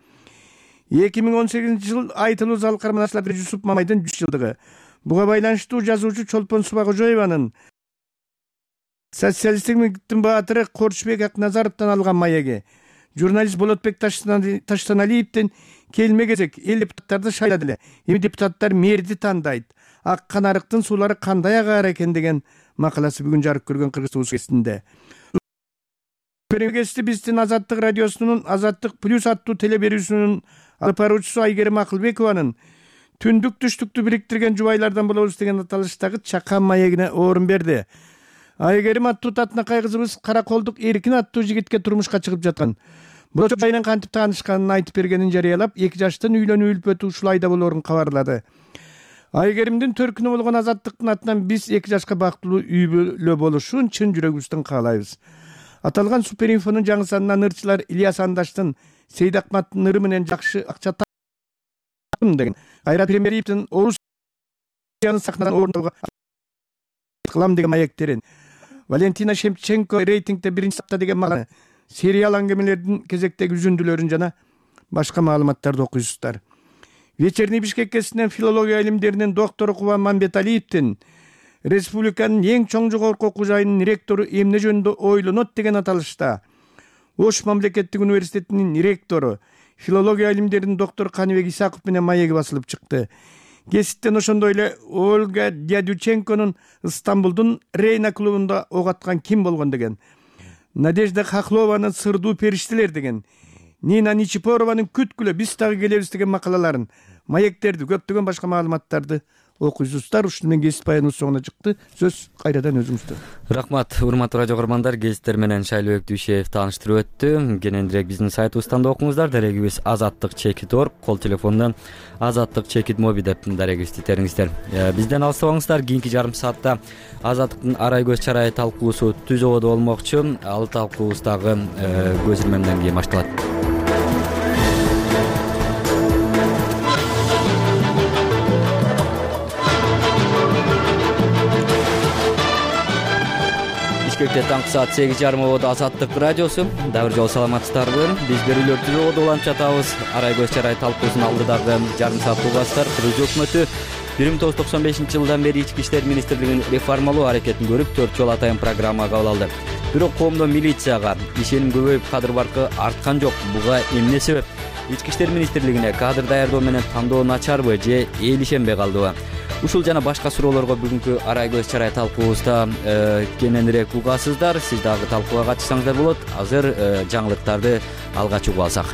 эки миң он сегизинчи жыл айтылуу залкар Манасылап Жусуп Мамайдын жүз жылдыгы. Буга байланыштуу жазуучу Чолпон Субакожоеванын социалисттиктин баатыры Корчубек Акназаровдон алган маеги, журналист Болотбек Таштаналиевдин келме кезек эл депутаттарды шайлады эле, эми депутаттар мэрди тандайт, ак канарыктын суулары кандай агар экен деген макаласы бүгүн жарык көргөн Кыргыз туусу гезитинде. Гезити биздин Азаттык радиосунун Азаттык плюс аттуу теле берүүсүнүн алып баруучусу Айгерим Акылбекованын түндүк түштүктү бириктирген жубайлардан болобуз деген аталыштагы чакан маегине орун берди. Айгерим аттуу татынакай кызыбыз Караколдук Эркин аттуу жигитке турмушка чыгып жаткан. Болочок айынан кантип таанышканын айтып бергенин жарыялап, эки жаштын үйлөнүү үлпөтү ушул айда болоорун кабарлады. Айгеримдин төркүнү болгон Азаттыктын атынан биз эки жашка бактылуу үй бүлө болушун чын жүрөгүбүздөн каалайбыз. Аталган суперинфонун жаңы санынан ырчылар Ильяс Андаштын Сейдакматтын ыры менен жакшы акча таптым деген, Кайрат Премьеровдун Орусиянын сахнадан орунтууга кылам деген маектерин, Валентина Шемченко рейтингде биринчи сапта деген макала, сериал аңгемелердин кезектеги үзүндүлөрүн жана башка маалыматтарды окуйсуздар. Вечерний Бишкек гезитинен филология илимдеринин доктору Кубан Мамбеталиевдин республиканын эң чоң жогорку окуу жайынын ректору эмне жөнүндө ойлонот деген аталышта Ош мамлекеттик университетинин ректору, филология илимдеринин доктору Каныбек Исаков менен маеги басылып чыкты. кесиптен ошондой эле Ольга Дядюченконун Стамбулдун Рейна клубунда ок аткан ким болгон деген, Надежда Хохлованын Сырдуу периштелер деген, Нина Ничипорованын Күткүлө биз дагы келебиз деген макалаларын, маектерди, көптөгөн башка маалыматтарды окуйсуздар. Ушуну менен кесип баяныбыз соңуна чыкты. Сөз кайрадан өзүңүздө. Рахмат, урматтуу радио көрөрмандар. Гезиттер менен Шайлообек Дүйшеев тааныштырып өттү. Кененирээк биздин сайтыбыздан да окуңуздар. Дарегибиз азаттык чекит точка орг, кол телефондон азаттык чекит моби деп дарегибизди итериңиздер. Бизден алыстабаңыздар. Кийинки жарым саатта азаттыктын арай көз чарай талкуусу түз ободо болмокчу. Ал талкуубуз дагы көз ирмемден кийин башталат. Бишкекте таңкы саат сегиз жарым ободо Азаттык радиосу. Дагы бир жолу саламатсыздарбы? Биз берүүлөр түз ободо уланып жатабыз. Арай көз чарай талкуусунун алдыдагы жарым саат угасыздар. Кыргыз өкмөтү бир миң тогуз жүз токсон бешинчи жылдан бери Ички иштер министрлигинин реформалоо аракетин көрүп, төрт жолу атайын программа кабыл алды. Бирок коомдо милицияга ишеним көбөйүп, кадыр баркы арткан жок. Буга эмне себеп? Ички иштер министрлигине кадр даярдоо менен тандоо начарбы же эл ишенбей калдыбы? Ушул жана башка суроолорго бүгүнкү арай көз чарай талкуубузда кененирээк угасыздар. Сиз дагы талкууга катышсаңыздар болот. Азыр жаңылыктарды алгач угуп алсак.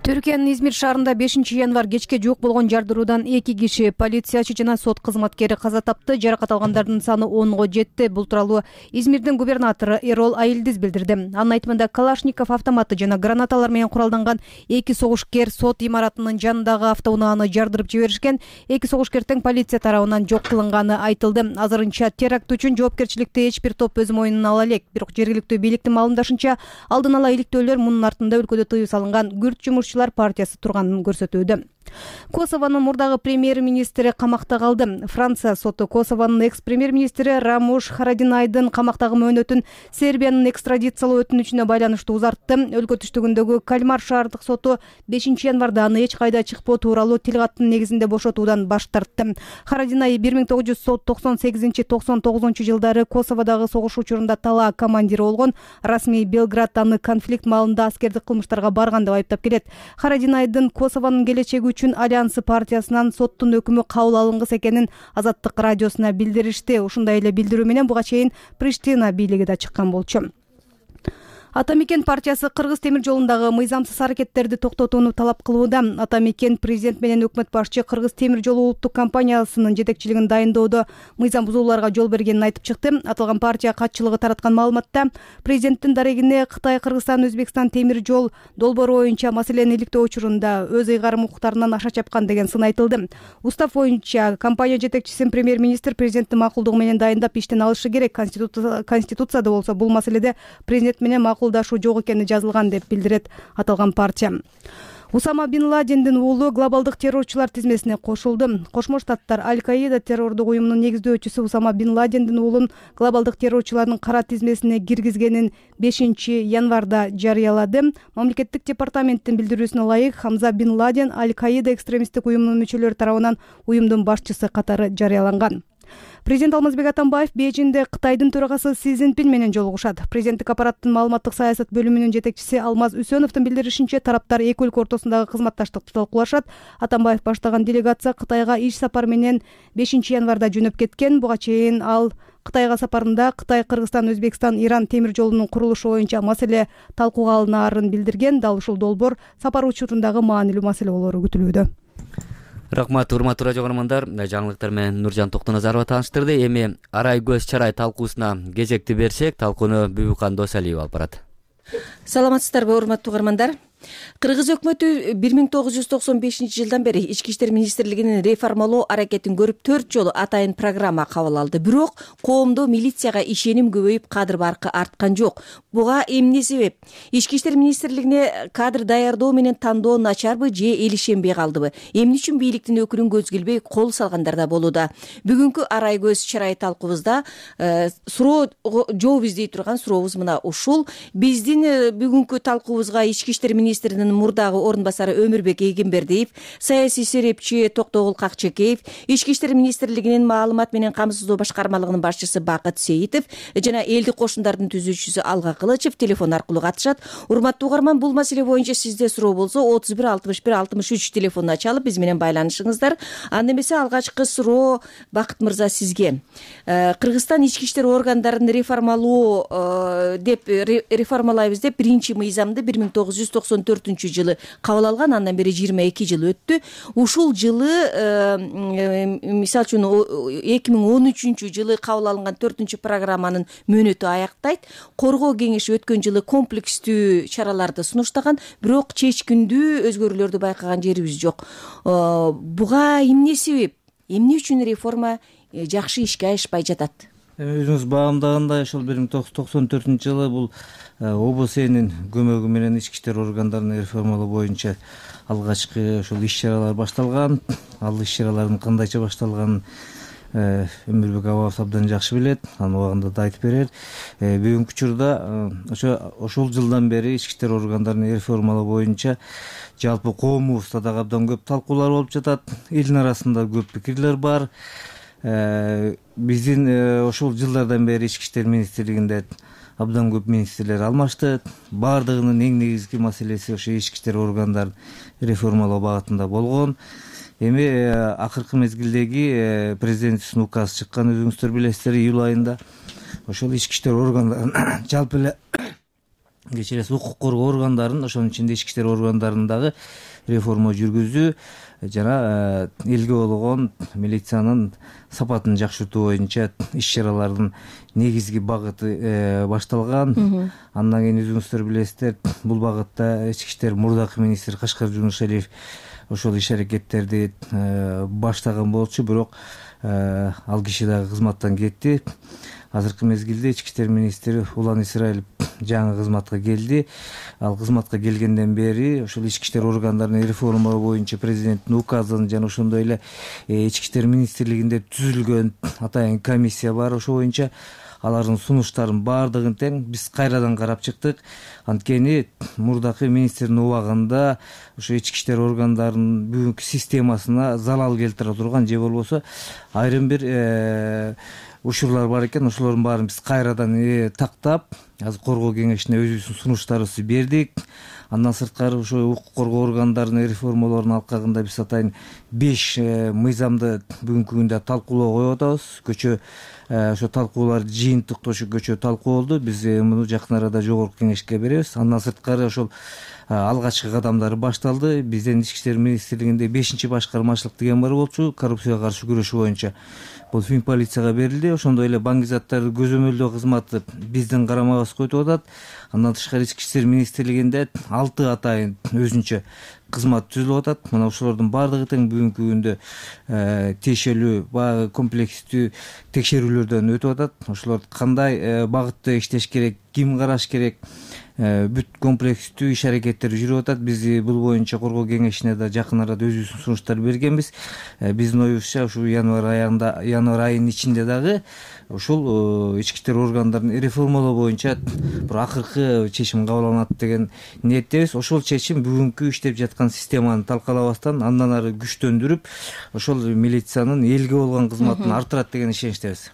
Түркиянын Измир шаарында бешинчи январь кечке жок болгон жардыруудан эки киши, полициячы жана сот кызматкери каза тапты. Жаракат алгандардын саны онго жетти. Бул тууралуу Измирдин губернатору Эрол Айылдиз билдирди. Анын айтымында Калашников автоматы жана гранаталар менен куралданган эки согушкер сот имаратынын жанындагы автоунааны жардырып жиберишкен. Эки согушкер тең полиция тарабынан жок кылынганы айтылды. Азырынча теракт үчүн жоопкерчиликти эч бир топ өз мойнуна ала элек. Бирок жергиликтүү бийликтин маалымдашынча, алдын ала иликтөөлөр мунун артында өлкөдө тыюу салынган күрд жумушчулар партиясы турганын көрсөтүүдө. Косовонун мурдагы премьер-министри камакта калды. Франция соту Косовонун экс-премьер-министри Рамуш Харадинайдын камактагы мөөнөтүн Сербиянын экстрадициялоо өтүнүчүнө байланыштуу узартты. Өлкө түштүгүндөгү Кальмар шаардык соту бешинчи январда аны эч кайда чыкпоо тууралуу тил каттын негизинде бошотуудан баш тартты. Харадинай бир миң тогуз жүз токсон сегизинчи — токсон тогузунчу жылдары Косоводогу согуш учурунда талаа командири болгон. Расмий Белград аны конфликт маалында аскердик кылмыштарга барган деп айыптап келет. Харадинайдын Косовонун келечеги үчүн Альянсы партиясынан соттун өкүмү кабыл алынгыс экенин Азаттык радиосуна билдиришти. Ушундай эле билдирүү менен буга чейин Приштина бийлиги да чыккан болчу. Ата мекен партиясы Кыргыз темир жолундагы мыйзамсыз аракеттерди токтотууну талап кылууда. Ата мекен президент менен өкмөт башчы Кыргыз темир жолу улуттук компаниясынын жетекчилигин дайындоодо мыйзам бузууларга жол бергенин айтып чыкты. Аталган партия катчылыгы тараткан маалыматта президенттин дарегине Кытай, Кыргызстан, Өзбекстан темир жол долбоору боюнча маселени иликтөө учурунда өз ыйгарым укуктарынан аша чапкан деген сын айтылды. Устав боюнча компания жетекчисин премьер-министр президенттин макулдугу менен дайындап иштен алышы керек. Конституцияда болсо бул маселеде президент менен макулдашуу жок экени жазылган деп билдирет аталган партия. Усама бин Ладендин уулу глобалдык террорчулар тизмесине кошулду. Кошмо Штаттар Аль-Каида террордук уюмунун негиздөөчүсү Усама бин Ладендин уулун глобалдык террорчулардын кара тизмесине киргизгенин бешинчи январда жарыялады. Мамлекеттик департаменттин билдирүүсүнө ылайык, Хамза бин Ладен Аль-Каида экстремисттик уюмунун мүчөлөрү тарабынан уюмдун башчысы катары жарыяланган. Президент Алмазбек Атамбаев Бейжиңде Кытайдын төрагасы Си Цзиньпин менен жолугушат. Президенттик аппараттын маалыматтык саясат бөлүмүнүн жетекчиси Алмаз Үсөновдун билдиришинче, тараптар эки өлкө ортосундагы кызматташтыкты талкуулашат. Атамбаев баштаган делегация Кытайга иш сапар менен бешинчи январда жөнөп кеткен. Буга чейин ал Кытайга сапарында Кытай, Кыргызстан, Өзбекстан, Иран темир жолунун курулушу боюнча маселе талкууга алынаарын билдирген. Дал ушул долбоор сапар учурундагы маанилүү маселе болору күтүлүүдө. Рахмат, урматтуу радио көрөрмандар. Жаңылыктар менен Нуржан Токтоназарова тааныштырды. Эми арай көз чарай талкуусуна кезекти берсек, талкууну Бүбүкан Досалиева алып барат. Саламатсыздарбы, урматтуу көрөрмандар? Кыргыз өкмөтү бир миң тогуз жүз токсон бешинчи жылдан бери Ички иштер министрлигинин реформалоо аракетин көрүп, төрт жолу атайын программа кабыл алды. Бирок коомдо милицияга ишеним көбөйүп, кадыр баркы арткан жок. Буга эмне себеп? Ички иштер министрлигине кадр даярдоо менен тандоо начарбы же эл ишенбей калдыбы? Эмне үчүн бийликтин өкүлүн көз келбей кол салгандар да болууда. Бүгүнкү арай көз чарай талкуубузда суроо жооп издей турган сурообуз мына ушул. Биздин бүгүнкү талкуубузга Ички иштер министринин мурдагы орун басары Өмүрбек Эгембердиев, саясий серепчи Токтогул Какчекеев, Ички иштер министрлигинин маалымат менен камсыздоо башкармалыгынын башчысы Бакыт Сейитов жана элдик кошундардын түзүүчүсү Алга Кылычев телефон аркылуу катышат. Урматтуу угарман, бул маселе боюнча сизде суроо болсо отуз бир алтымыш бир алтымыш үч телефонуна чалып биз менен байланышыңыздар. Анда эмесе алгачкы суроо Бакыт мырза сизге. Кыргызстан ички иштер органдарын реформалоо деп реформалайбыз деп биринчи мыйзамды бир миң тогуз жүз токсон төртүнчү жылы кабыл алган. Андан бери жыйырма эки жыл өттү. Ушул жылы мисалы үчүн эки миң он үчүнчү жылы кабыл алынган төртүнчү программанын мөөнөтү аяктайт. Коргоо кеңеши өткөн жылы комплекстүү чараларды сунуштаган, бирок чечкиндүү өзгөрүүлөрдү байкаган жерибиз жок. Буга эмне себеп? Эмне үчүн реформа жакшы ишке ашпай жатат? Өзүңүз баамдагандай, ошол бир миң тогуз жүз токсон төртүнчү жылы бул ОБСЕнин көмөгү менен ички иштер органдарын реформалоо боюнча алгачкы ошол иш-чаралар башталган. Ал иш-чаралардын кандайча башталганын Өмүрбек абабыз абдан жакшы билет, анын убагында да айтып берет. Бүгүнкү учурда ошо ошол жылдан бери ички иштер органдарын реформалоо боюнча жалпы коомубузда дагы абдан көп талкуулар болуп жатат. Элдин арасында көп пикирлер бар. Биздин ошол жылдардан бери ички иштер министрлигинде абдан көп министрлер алмашты. Бардыгынын эң негизги маселеси ошо ички иштер органдарын реформалоо багытында болгон. Эми акыркы мезгилдеги президенттин указы чыккан, өзүңүздөр билесиздер, июль айында. Ошол ички иштер органдарын жалпы эле кечиресиз укук коргоо органдарын, ошонун ичинде ички иштер органдарын дагы реформа жүргүзүү жана элге болгон милициянын сапатын жакшыртуу боюнча иш-чаралардын негизги багыты башталган. Андан кийин өзүңүздөр билесиздер, бул багытта ички иштер мурдакы министр Кашкар Жунушалиев ошол иш-аракеттерди баштаган болчу, бирок ал киши дагы кызматтан кетти. Азыркы мезгилде ички иштер министри Улан Исраилов жаңы кызматка келди. Ал кызматка келгенден бери ошол ички иштер органдарын реформалоо боюнча президенттин указын жана ошондой эле ички иштер министрлигинде түзүлгөн атайын комиссия бар. Ошо боюнча алардын сунуштарын баардыгын тең биз кайрадан карап чыктык. Анткени мурдакы министрдин убагында ошо ички иштер органдарынын бүгүнкү системасына залал келтире турган же болбосо айрым бир учурлар бар экен. Ошолордун баарын биз кайрадан тактап, азыр коргоо кеңешине өзүбүздүн сунуштарыбызды бердик. Андан сырткары ошо укук коргоо органдарынын реформалоорунун алкагында биз атайын беш мыйзамды бүгүнкү күндө талкуулоо коюп атабыз. Көчө ошо талкуулар жыйынтыктуу ошо көчө талкуу болду. Биз муну жакын арада жогорку кеңешке беребиз. Андан сырткары ошол алгачкы кадамдары башталды. Биздин ички иштер министрлигинде бешинчи башкармачылык деген бар болчу, коррупцияга каршы күрөшүү боюнча. Бул фин полицияга берилди. Ошондой эле баңгизаттарды көзөмөлдөө кызматы биздин карамабызга өтүп атат. Андан тышкары ички иштер министрлигинде алты атайын өзүнчө кызмат түзүлүп атат. Мына ошолордун баардыгы тең бүгүнкү күндө тиешелүү баягы комплекстүү текшерүүлөрдөн өтүп атат. Ошолор кандай багытта иштеш керек, ким караш керек, бүт комплекстүү иш-аракеттер жүрүп атат. Биз бул боюнча коргоо кеңешине да жакын арада өзүбүздүн сунуштар бергенбиз. Биздин оюбузча ушул январь айында, январь айынын ичинде дагы ушул ички иштер органдарын реформалоо боюнча бир акыркы чечим кабыл алынат деген ниеттебиз. Ошол чечим бүгүнкү иштеп жаткан системаны талкалабастан андан ары күчтөндүрүп, ошол милициянын элге болгон кызматын арттырат деген ишеничтебиз.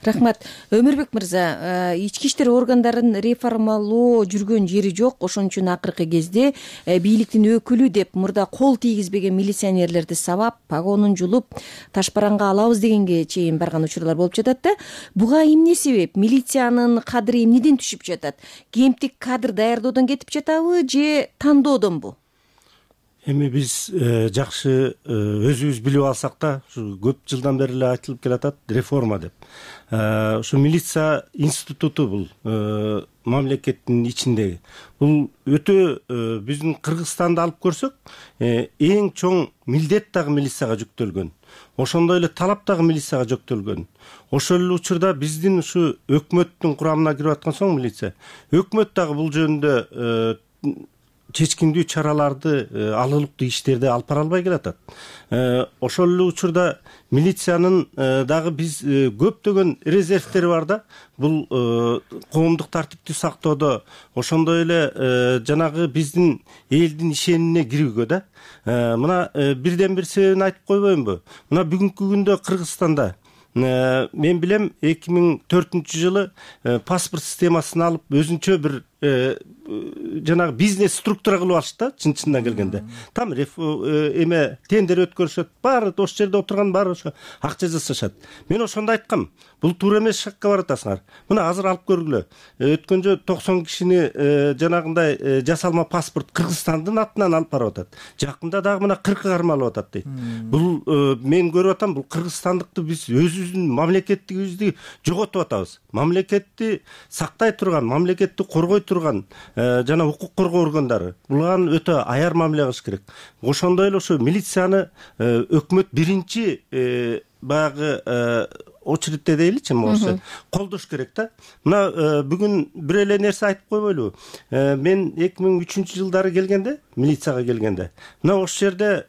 Рахмат. Өмүрбек мырза, ички иштер органдарын реформалоо жүргөн жери жок. Ошон үчүн акыркы кезде бийликтин өкүлү деп мурда кол тийгизбеген милиционерлерди сабап, погонун жулуп, ташбаранга алабыз дегенге чейин барган учурлар болуп жатат да. Буга эмне себеп? Милициянын кадыры эмнеден түшүп жатат? Кемтик кадр даярдоодон кетип жатабы же тандоодонбу? Эми биз жакшы өзүбүз билип алсак да, ушу көп жылдан бери эле айтылып келатат реформа деп. Ушу милиция институту бул мамлекеттин ичиндеги. Бул өтө биздин Кыргызстанды алып көрсөк, эң чоң милдет дагы милицияга жүктөлгөн. Ошондой эле талап дагы милицияга жүктөлгөн. Ошол эле учурда биздин ушу өкмөттүн курамына кирип аткан соң милиция, өкмөт дагы бул жөнүндө чечкиндүү чараларды алылыктуу иштерди алып бара албай келатат. Ошол эле учурда милициянын дагы биз көптөгөн резервтери бар да. Бул коомдук тартипти сактоодо, ошондой эле жанагы биздин элдин ишенимине кирүүгө да. Мына бирден бир себебин айтып койбоймунбу? Мына бүгүнкү күндө Кыргызстанда мен билем эки миң төртүнчү жылы паспорт системасын алып өзүнчө бир жанагы бизнес структура кылып алышты да, чын чындан келгенде. Там эме тендер өткөрүшөт, баары ошол жерде отурган баары ошо акча жасашат. Мен ошондо айткам, бул туура эмес шакка баратасыңар. Мына азыр алып көргүлө. Өткөн жолу токсон кишини жанагындай жасалма паспорт Кыргызстандын атынан алып барып атат. Жакында дагы мына кыркы кармалып атат дейт. Бул мен көрүп атам, бул кыргызстандыкты биз өзүбүздүн мамлекеттигибизди жоготуп атабыз. Мамлекетти сактай турган, мамлекетти коргой турган жана укук коргоо органдары буларга өтө аяр мамиле кылыш керек. Ошондой эле ошо милицияны өкмөт биринчи баягы очередте дейличи, могу колдош керек да. Мына бүгүн бир эле нерсе айтып койбойлубу? Мен эки миң үчүнчү жылдары келгенде, милицияга келгенде, мына ошол жерде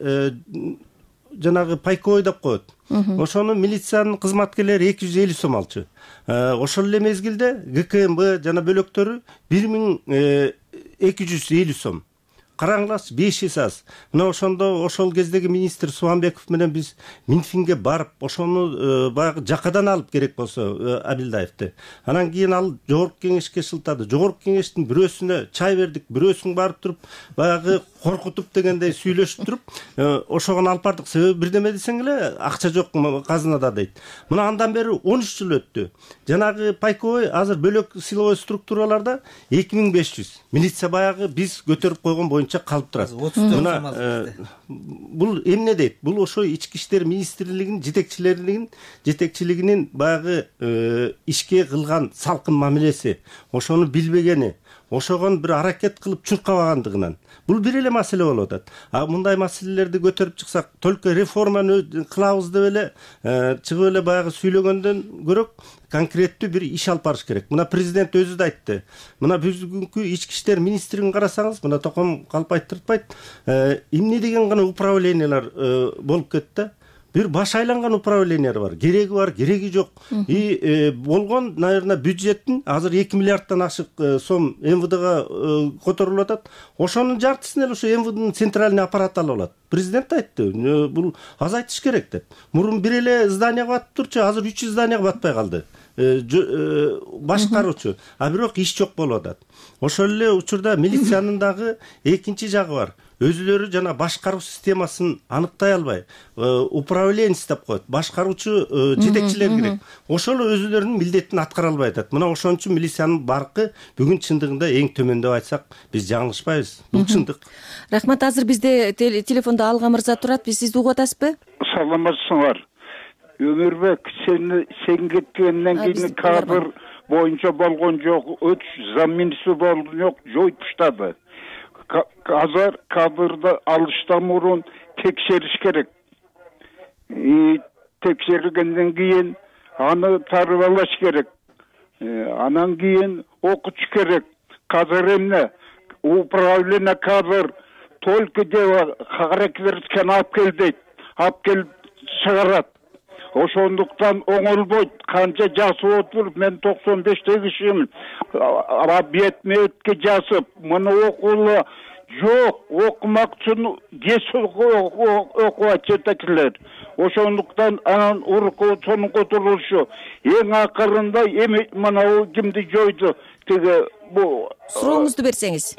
жанагы пайковой деп коет. Ошону милициянын кызматкерлери эки жүз элүү сом алчу. Ошол эле мезгилде ГКМБ жана бөлөктөрү бир миң эки жүз элүү сом. Караңылачы, беш эсе аз. Мына ошондо ошол кездеги министр Субанбеков менен биз Минфинге барып, ошону баягы жакадан алып керек болсо Абилдаевди. Анан кийин ал жогорку кеңешке шылтады. Жогорку кеңештин бирөөсүнө чай бердик, бирөөсүн барып туруп, баягы коркутуп дегендей сүйлөшүп туруп, ошогону алып бардык. Себеби бирдеме десең эле акча жок казынада дейт. Мына андан бери он үч жыл өттү. Жанагы пайковой азыр бөлөк силовой структураларда эки миң беш жүз. Милиция баягы биз көтөрүп койгон боюнча калып турат. Мына бул эмне дейт? Бул ошо ички иштер министрлигинин жетекчилеринин жетекчилигинин баягы ишке кылган салкын мамилеси, ошону билбегени, ошогон бир аракет кылып чуркабагандыгынан. Бул бир эле маселе болуп атат. А мындай маселелерди көтөрүп чыксак, только реформаны кылабыз деп эле чыгып эле баягы сүйлөгөндөн көрөк конкреттүү бир иш алып барыш керек. Мына президент өзү да айтты. Мына бүгүнкү ички иштер министрлигин карасаңыз, мына Током калп айттыртпайт, эмне деген гана управлениялар болуп кетти. Бир баш айланган управлениялар бар. Кереги бар, кереги жок. И болгон, наверное, бюджеттин азыр эки миллиарддан ашык сом эм вэ дэга которулуп атат. Ошонун жартысын эле ошо эм вэ дэнин центральный аппараты алып алат. Президент айтты, бул азайтыш керек деп. Мурун бир эле зданияга батып турчу, азыр үч жүз зданияга батпай калды. Башкаруучу, а бирок иш жок болуп атат. Ошол эле учурда милициянын дагы экинчи жагы бар. Өзүлөрү жана башкаруу системасын аныктай албай, управленец деп коет, башкаруучу жетекчилер керек. Ошол өзүлөрүнүн милдетин аткара албай атат. Мына ошон үчүн милициянын баркы бүгүн чындыгында эң төмөн деп айтсак, биз жаңылышпайбыз. Бул чындык. Рахмат. Азыр бизде телефондо Алга мырза турат. Биз сизди угуп атасызбы? Саламатсыңар. Өмүрбек, сен сен кеткенден кийин кадр боюнча болгон жок, өч замминистр болгон жок, жоюп таштады. Азыр кадрды алыштан мурун текшериш керек. Текшергенден кийин аны тарбалаш керек. Анан кийин окутуш керек. Кадр эмне? Управление кадр только дело характерин алып кел дейт. Алып келип чыгарат. Ошондуктан оңолбойт. Канча жасып отуруп, мен токсон бештеги кишимин. Бетме-бетке жасып, муну окуулу жок, окумак үчүн кес окуат жетекчилер. Ошондуктан анан урукчунун которулушу эң акырында эми мына кимди жойду, тиги бу сурооңузду берсеңиз.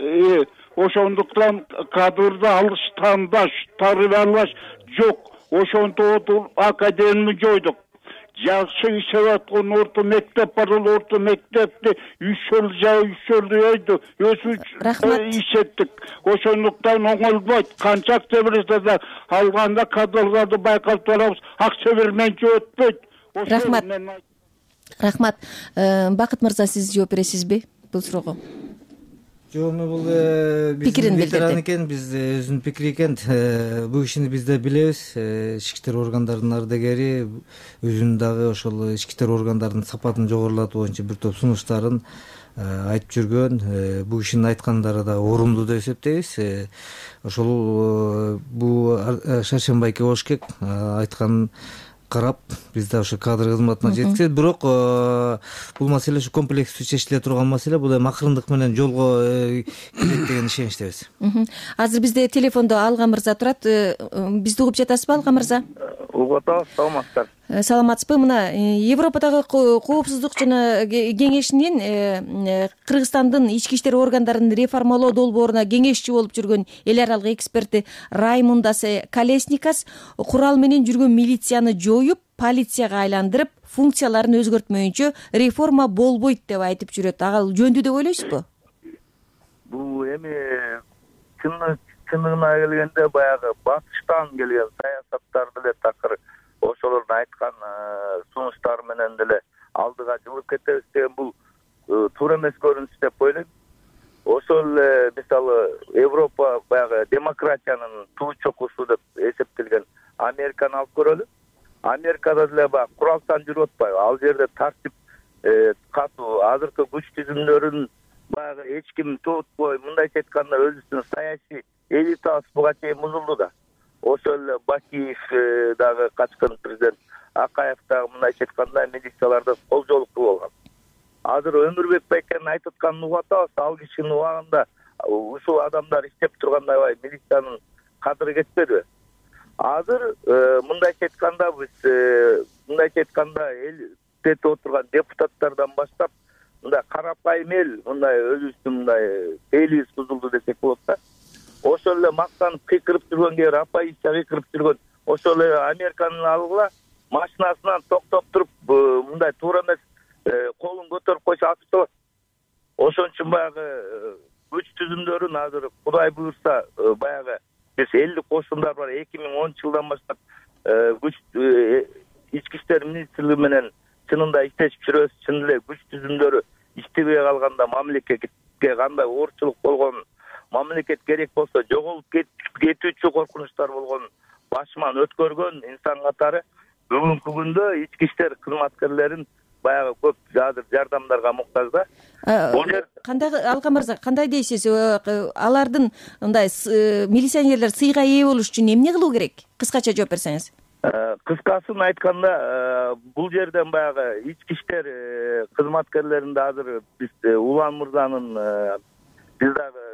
Ошондуктан кадрды алыш, тандаш, тарбиялаш жок. Ошонто академияны жойдук. Жакшы иштеп аткан орто мектеп бар, орто мектепти үч жыл жа үч жыл өйдү. Өзү иштеттик. Ошондуктан оңолбойт. Канча акча берсе да алганда кадрларды байкап турабыз. Акча берменче өтпөйт. Рахмат. Рахмат. Бакыт мырза, сиз жооп бересизби бул суроого? Жок, бул биздин ветеран экен, биз өзүнүн пикири экен. Бул кишини биз да билебиз. Ички иштер органдарынын ардагери, өзүнүн дагы ошол ички иштер органдарынын сапатын жогорулатуу боюнча бир топ сунуштарын айтып жүргөн. Бул кишинин айткандары да орумдуу деп эсептейбиз. Ошол бул Шаршенбайке болуш керек айтканын карап биз да ошо кадр кызматына жеткизет. Бирок бул маселе ушу комплекстүү чечиле турган маселе. Бул эми акырындык менен жолго кирет деген ишеничтебиз. Азыр бизде телефондо Алга мырза турат. Бизди угуп жатасызбы, Алга мырза? Угуп атабыз, саламатсыздар. Саламатсызбы? Мына Европадагы коопсуздук жана кеңешинин Кыргызстандын ички иштер органдарын реформалоо долбооруна кеңешчи болуп жүргөн эл аралык эксперти Раймундас Колесникас курал менен жүргөн милицияны жоюп, полицияга айландырып, функцияларын өзгөртмөйүнчө реформа болбойт деп айтып жүрөт. Ага жөндүү деп ойлойсузбу? Бул эми чындыгына келгенде баягы батыштан келген саясаттар деле такыр ошолордун айткан сунуштары менен деле алдыга жылып кетебиз деген бул туура эмес көрүнүш деп ойлойм. Ошол эле мисалы Европа баягы демократиянын туу чокусу деп эсептелген Американы алып көрөлү. Америкада деле баягы куралсан жүрүп атпайбы? Ал жерде тартип катуу, азыркы күч түзүмдөрүн баягы эч ким тутпой, мындайча айтканда өзүбүздүн саясий элитабыз буга чейин бузулду да. Ошол эле Бакиев дагы качкан президент, Акаев дагы мындайча айтканда милицияларды колжоолук кылып алган. Азыр Өмүрбек Байкенин айтып атканын угуп атабыз. Ал кишинин убагында ушул адамдар иштеп турганда аябай милициянын кадыры кетпедиби? Азыр мындайча айтканда биз мындайча айтканда элдетип отурган депутаттардан баштап мындай карапайым эл, мындай өзүбүздүн мындай элибиз бузулду десек болот да. Ошол эле мактанып кыйкырып жүргөн, кээ бир оппозиция кыйкырып жүргөн, ошол эле Американы алгыла, машинасынан токтоп туруп мындай туура эмес колун көтөрүп койсо атып салат. Ошон үчүн баягы күч түзүмдөрүн азыр Кудай буюрса баягы биз элдик кошундар бар. эки миң онунчу жылдан баштап күч ички иштер министрлиги менен чынында иштешип жүрөбүз. Чын эле күч түзүмдөрү иштебей калганда мамлекетке кандай оорчулук болгонун, мамлекет керек болсо жоголуп кетүүчү коркунучтар болгонун башыман өткөргөн инсан катары бүгүнкү күндө ички иштер кызматкерлерин баягы көп азыр жардамдарга муктаж да. Кандай Алга мырза, кандай дейсиз? Алардын мындай милиционерлер сыйга ээ болуш үчүн эмне кылуу керек? Кыскача жооп берсеңиз. Кыскасын айтканда, бул жерден баягы ички иштер кызматкерлеринде азыр биз Улан мырзанын биз дагы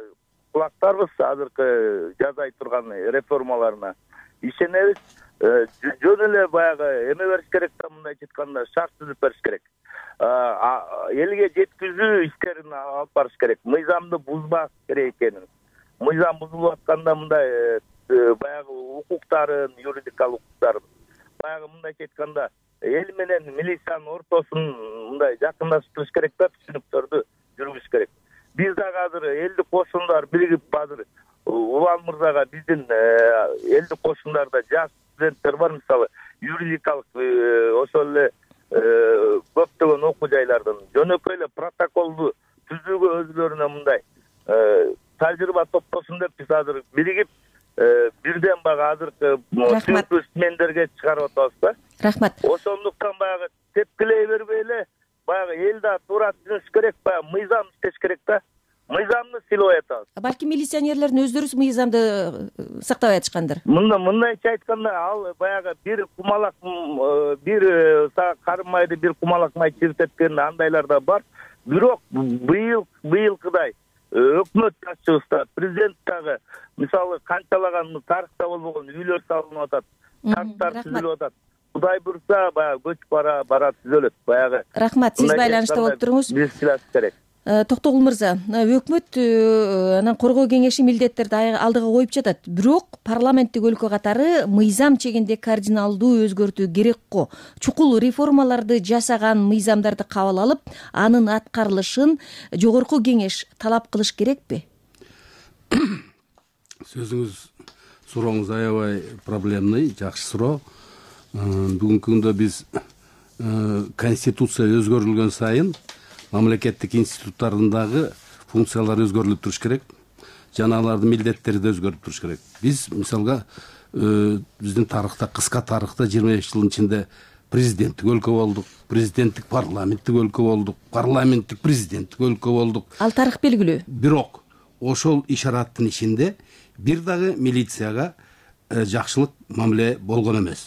кулактарбыз азыркы жасай турган реформаларына ишенебиз. Жөн эле баягы эме бериш керек да, мындайча айтканда шарт түзүп бериш керек. Элге жеткизүү иштерин алып барыш керек. Мыйзамды бузбаш керек экенин. Мыйзам бузулуп атканда мындай баягы укуктарын, юридикалык укуктарын баягы мындайча айтканда эл менен милициянын ортосун мындай жакындаштырыш керек да, түшүнүктөрдү жүргүзүш керек. Биз дагы азыр элдик кошундар биригип азыр Улан мырзага биздин элдик кошундарда жаш студенттер бар, мисалы юридикалык ошол эле көптөгөн окуу жайлардын жөнөкөй эле протоколду түзүүгө өзүлөрүнө мындай тажрыйба топтосун деп биз азыр биригип бирден баягы азыркы түзүү исмендерге чыгарып атабыз да. Рахмат. Ошондуктан баягы тепкилей бербей эле баягы эл да туура түзүш керек, баягы мыйзам иштеш керек да. Мыйзамды сыйлабай атабыз. Балки милиционерлердин өздөрү мыйзамды сактабай атышкандыр. Мында мындайча айтканда ал баягы бир кумалак бир карымайды бир кумалак май чиртеткен андайлар да бар. Бирок быйыл быйылкыдай өкмөт башчыбызда, президент дагы мисалы канчалаган тарыхта болбогон үйлөр салынып атат, парктар түзүлүп атат. Кудай буйрса баягы көчүп бара бара түзөлөт баягы. Рахмат, сиз байланышта болуп туруңуз. Биз сыйлаш керек. Токтогул мырза, өкмөт анан коргоо кеңеши милдеттерди алдыга коюп жатат. Бирок парламенттик өлкө катары мыйзам чегинде кардиналдуу өзгөртүү керек го. Чукул реформаларды жасаган мыйзамдарды кабыл алып, анын аткарылышын жогорку кеңеш талап кылыш керекпи? Сөзүңүз, сурооңуз аябай проблемный, жакшы суроо. Бүгүнкү күндө биз конституция өзгөрүлгөн сайын мамлекеттик институттардагы функциялар өзгөрүлүп туруш керек. Жана алардын милдеттери да өзгөрүп туруш керек. Биз мисалга биздин тарыхта, кыска тарыхта жыйырма беш жылдын ичинде президенттик өлкө болдук, президенттик парламенттик өлкө болдук, парламенттик президенттик өлкө болдук. Ал тарых белгилүү. Бирок ошол ишараттын ичинде бир дагы милицияга жакшылык мамиле болгон эмес.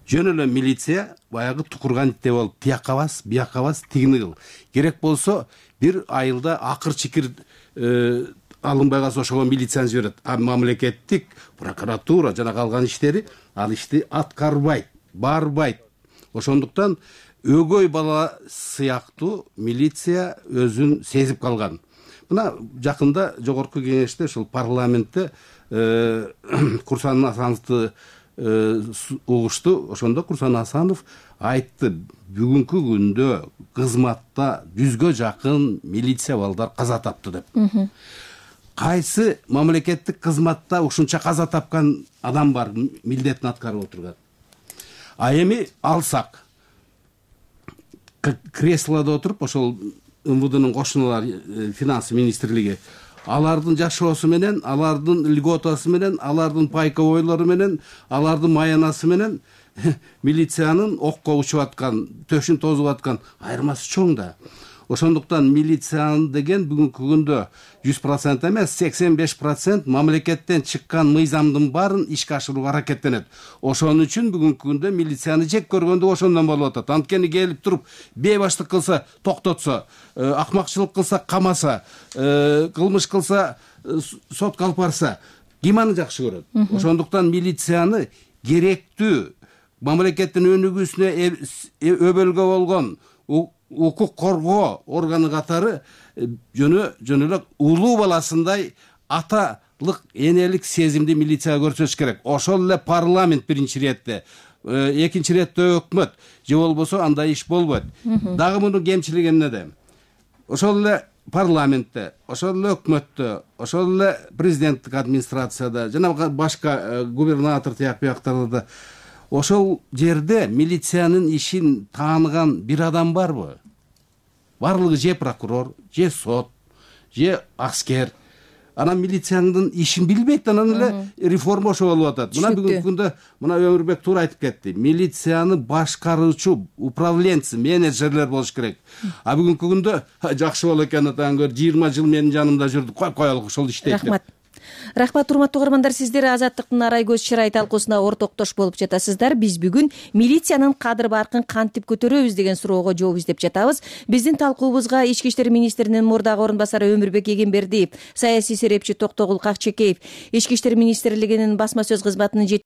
Жөн эле милиция баягы тукурган итте болуп, тияка бас, бияка бас, тигини кыл. Керек болсо бир айылда акыр чикир алынбай калса ошого милицияны жиберет. А мамлекеттик прокуратура жана калган иштери ал ишти аткарбайт, барбайт. Ошондуктан өгөй бала сыяктуу милиция өзүн сезип калган. Мына жакында жогорку кеңеште ушул парламентте Курсан Асановду угушту. Ошондо Курсан Асанов айтты, бүгүнкү күндө кызматта жүзгө жакын милиция балдар каза тапты деп. Кайсы мамлекеттик кызматта ушунча каза тапкан адам бар, милдетин аткарып отурган? А эми алсак, креслодо отуруп, ошол МВДнын кошуналары, финансы министрлиги, алардын жашоосу менен, алардын льготасы менен, алардын пайковойлору менен, алардын маянасы менен милициянын окко учуп аткан, төшүн тозуп аткан айырмасы чоң да. Ошондуктан милициянын деген бүгүнкү күндө жүз процент эмес, сексен беш процент мамлекеттен чыккан мыйзамдын баарын ишке ашырууга аракеттенет. Ошон үчүн бүгүнкү күндө милицияны жек көргөндүк ошондон болуп атат. Анткени келип туруп бейбаштык кылса токтотсо, акмакчылык кылса камаса, кылмыш кылса сотко алып барса, ким аны жакшы көрөт? Ошондуктан милицияны керектүү мамлекеттин өнүгүүсүнө өбөлгө болгон укук коргоо органы катары жөнө жөн эле улуу баласындай аталык, энелик сезимди милицияга көрсөтүш керек. Ошол эле парламент биринчи иретте, экинчи иретте өкмөт, же болбосо андай иш болбойт. Дагы мунун кемчилиги эмнеде? Ошол эле парламентте, ошол эле өкмөттө, ошол эле президенттик администрацияда жана башка губернатор тияк бияктарда ошол жерде милициянын ишин тааныган бир адам барбы? Барлыгы же прокурор, же сот, же аскер. Анан милициянын ишин билбейт, анан эле реформа ошо болуп атат. Мына бүгүнкү күндө мына Өмүрбек туура айтып кетти. Милицияны башкаруучу, управленцы, менеджерлер болуш керек. А бүгүнкү күндө жакшы болот экен, атаң көр, жыйырма жыл менин жанымда жүрдү, кой коелук, ошол иштейт. Рахмат. Рахмат, урматтуу угармандар, сиздер Азаттыктын арай көз чырай талкуусуна ортоктош болуп жатасыздар. Биз бүгүн милициянын кадыр баркын кантип көтөрөбүз деген суроого жооп издеп жатабыз. Биздин талкуубузга Ички иштер министринин мурдагы орун басары Өмүрбек Эгембердиев, саясий серепчи Токтогул Какчекеев, Ички иштер министрлигинин басма сөз кызматынын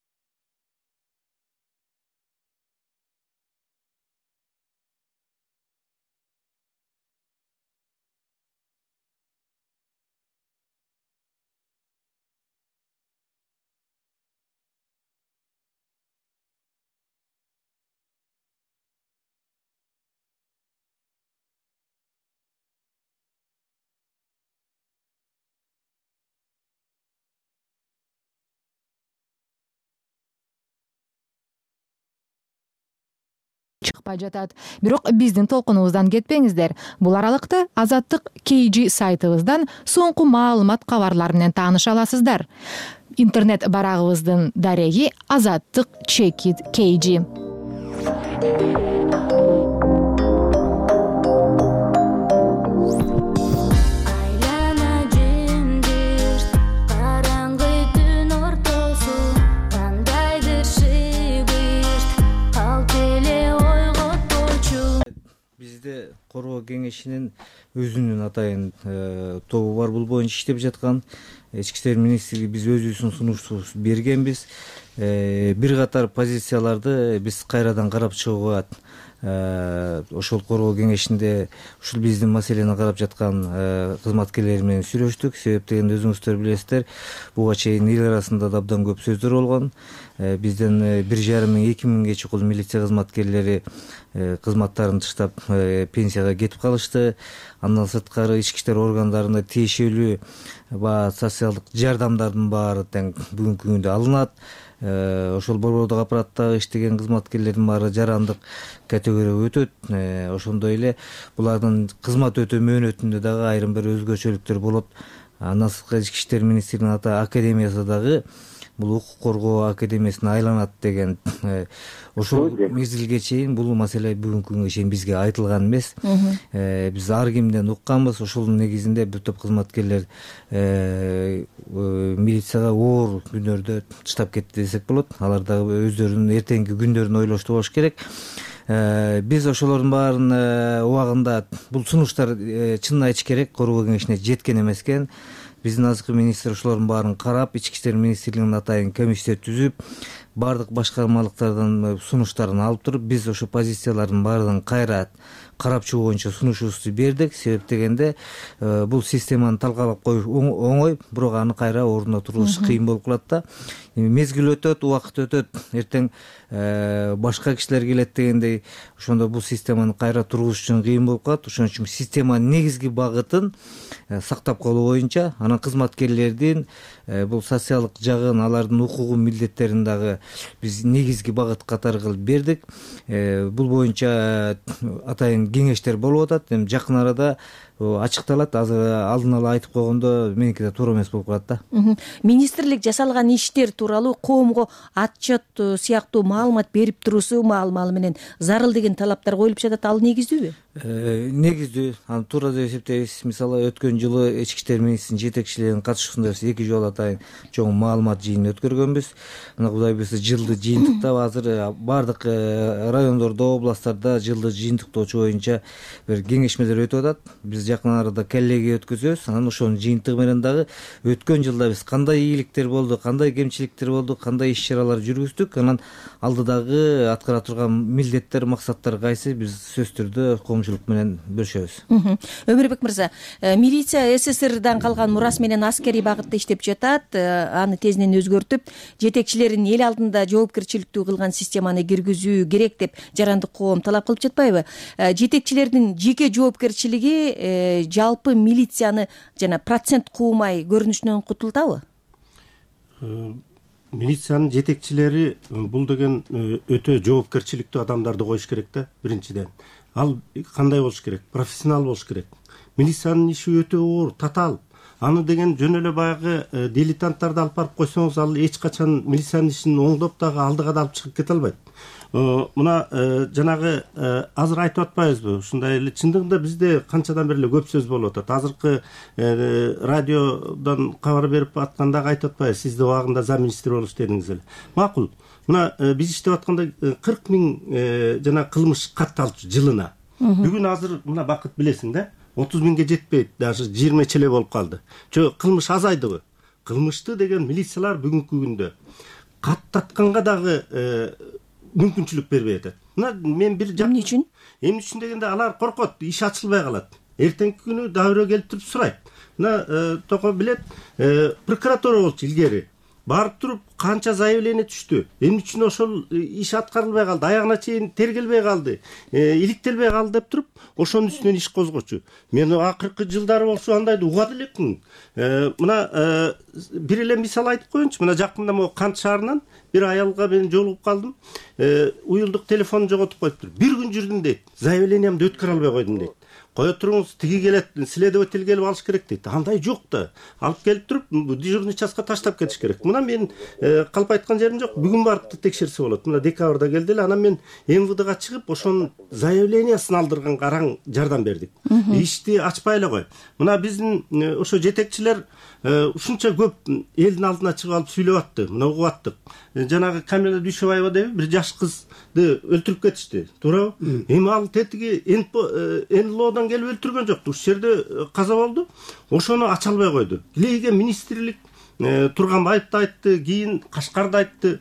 чыкпай жатат. Бирок биздин толкунубуздан кетпеңиздер. Бул аралыкта Азаттык кей джи сайтыбыздан соңку маалымат кабарлар менен тааныша аласыздар. Интернет барагыбыздын дареги Азаттык чекит кей джи. Коргоо кеңешинин өзүнүн атайын тобу бар, бул боюнча иштеп жаткан. Ички иштер министрлиги биз өзүбүздүн сунуштуубузду бергенбиз. Бир катар позицияларды биз кайрадан карап чыгууга ошол коргоо кеңешинде ушул биздин маселени карап жаткан кызматкерлер менен сүйлөштүк. Себеп дегенде өзүңүздөр билесиздер, буга чейин эл арасында да абдан көп сөздөр болгон. Бизден бир жарым миң эки миңге чукул милиция кызматкерлери кызматтарын таштап пенсияга кетип калышты. Андан сырткары ички иштер органдарында тиешелүү баягы социалдык жардамдардын баары тең бүгүнкү күндө алынат. Ошол борбордук аппараттагы иштеген кызматкерлердин баары жарандык категорияга өтөт. Ошондой эле булардын кызмат өтөө мөөнөтүндө дагы айрым бир өзгөчөлүктөр болот. Андан сырткары ички иштер министрлигинин ата академиясы дагы бул укук коргоо академиясына айланат деген ошол мезгилге чейин бул маселе бүгүнкү күнгө чейин бизге айтылган эмес. Биз ар кимден укканбыз. Ошонун негизинде бир топ кызматкерлер милицияга оор күнөрдө таштап кетти десек болот. Алар дагы өздөрүнүн эртеңки күндөрүн ойлошту болуш керек. Биз ошолордун баарын убагында бул сунуштар чынын айтыш керек коргоо кеңешине жеткен эмес экен. Биздин азыркы министр ошолордун баарын карап, ички иштер министрлигинин атайын комиссия түзүп, баардык башкармалыктардан сунуштарын алып туруп, биз ошо позициялардын баарын кайра карап чыгуу боюнча сунушубузду бердик. Себеп дегенде бул системаны талкалап коюш оңой, бирок аны кайра ордуна тургузуш кыйын болуп калат да. Мезгил өтөт, убакыт өтөт, эртең башка кишилер келет дегендей, ошондо бул системаны кайра тургузуш үчүн кыйын болуп калат. Ошон үчүн системанын негизги багытын сактап калуу боюнча, анан кызматкерлердин бул социалдык жагын, алардын укугун, милдеттерин дагы биз негизги багыт катары кылып бердик. Бул боюнча атайын кеңештер болуп атат. Эми жакын арада ачыкталат. Азыр алдын ала айтып койгондо меники да туура эмес болуп калат да. Министрлик жасалган иштер тууралуу коомго отчет сыяктуу маалымат берип туруусу маалымалы менен зарыл деген талаптар коюлуп жатат. Ал негиздүүбү? Негиздүү. Аны туура деп эсептейбиз. Мисалы өткөн жылы ички иштер министринин жетекчилеринин катышуусунда биз эки жолу атайын чоң маалымат жыйынын өткөргөнбүз. Мына Кудай буйрса жылды жыйынтыктап азыр баардык райондордо, областтарда жылды жыйынтыктоочу боюнча бир кеңешмелер өтүп атат. Биз жакын арада коллегия өткөзөбүз. Анан ошонун жыйынтыгы менен дагы өткөн жылда биз кандай ийгиликтер болду, кандай кемчиликтер болду, кандай иш-чаралар жүргүздүк, анан алдыдагы аткара турган милдеттер, максаттар кайсы, биз сөзсүз түрдө коомчулук менен бөлүшөбүз. Өмүрбек мырза, милиция СССРдан калган мурас менен аскерий багытта иштеп жатат. Аны тезинен өзгөртүп, жетекчилерин эл алдында жоопкерчиликтүү кылган системаны киргизүү керек деп жарандык коом талап кылып жатпайбы? Жетекчилердин жеке жоопкерчилиги жалпы милицияны жана процент куумай көрүнүшүнөн кутултабы? Милициянын жетекчилери бул деген өтө жоопкерчиликтүү адамдарды коюш керек да, биринчиден. Ал кандай болуш керек? Профессионал болуш керек. Милициянын иши өтө оор, татаал. Аны деген жөн эле баягы дилетанттарды алып барып койсоңуз, ал эч качан милициянын ишин оңдоп дагы алдыга да алып чыгып кете албайт. Мына жанагы азыр айтып атпайбызбы? Ушундай эле чындыгында бизде канчадан бери эле көп сөз болуп атат. Азыркы радиодон кабар берип атканда айтып атпайбыз, сиз да убагында зам министр болуп иштедиңиз эле. Макул. Мына биз иштеп атканда кырк миң жана кылмыш катталчу жылына. Бүгүн азыр мына Бакыт билесиң да, отуз миңге жетпейт, даже жыйырма эле болуп калды. Жо кылмыш азайдыбы? Кылмышты деген милициялар бүгүнкү күндө каттатканга дагы мүмкүнчүлүк бербей атат. Мына мен бир эмне үчүн? Эмне үчүн дегенде алар коркот, иш ачылбай калат. Эртеңки күнү дагы бирөө келип туруп сурайт. Мына Токо билет, прокуратура болчу илгери. Барып туруп канча заявление түштү. Эмне үчүн ошол иш аткарылбай калды, аягына чейин тергелбей калды, иликтелбей калды деп туруп, ошонун үстүнөн иш козгочу. Мен акыркы жылдары болсо андайды угат элекмин. Мына бир эле мисал айтып коеюнчу. Мына жакында могу Кант шаарынан бир аялга мен жолугуп калдым. Уюлдук телефонун жоготуп коюптур. Бир күн жүрдүм дейт. Заявлениямды өткөрө албай койдум дейт. Кое туруңуз, тиги келет, следователь келип алыш керек дейт. Андай жок да. Алып келип туруп, дежурный частка таштап кетиш керек. Мына мен калп айткан жерим жок. Бүгүн барып текшерсе болот. Мына декабрда келди эле, анан мен МВДга чыгып, ошонун заявлениясын алдырганга араң жардам бердик. Ишти ачпай эле кой. Мына биздин ошо жетекчилер ушунча көп элдин алдына чыгып алып сүйлөп атты. Мына угуп аттык. Жанагы Камила Дүйшөбаева деп бир жаш кызды өлтүрүп кетишти. Туурабы? Эми ал тетиги НЛОдон келип өлтүргөн жок. Ушул жерде каза болду. Ошону ача албай койду. Илеге министрлик Турганбаевди айтты, кийин Кашкарды айтты.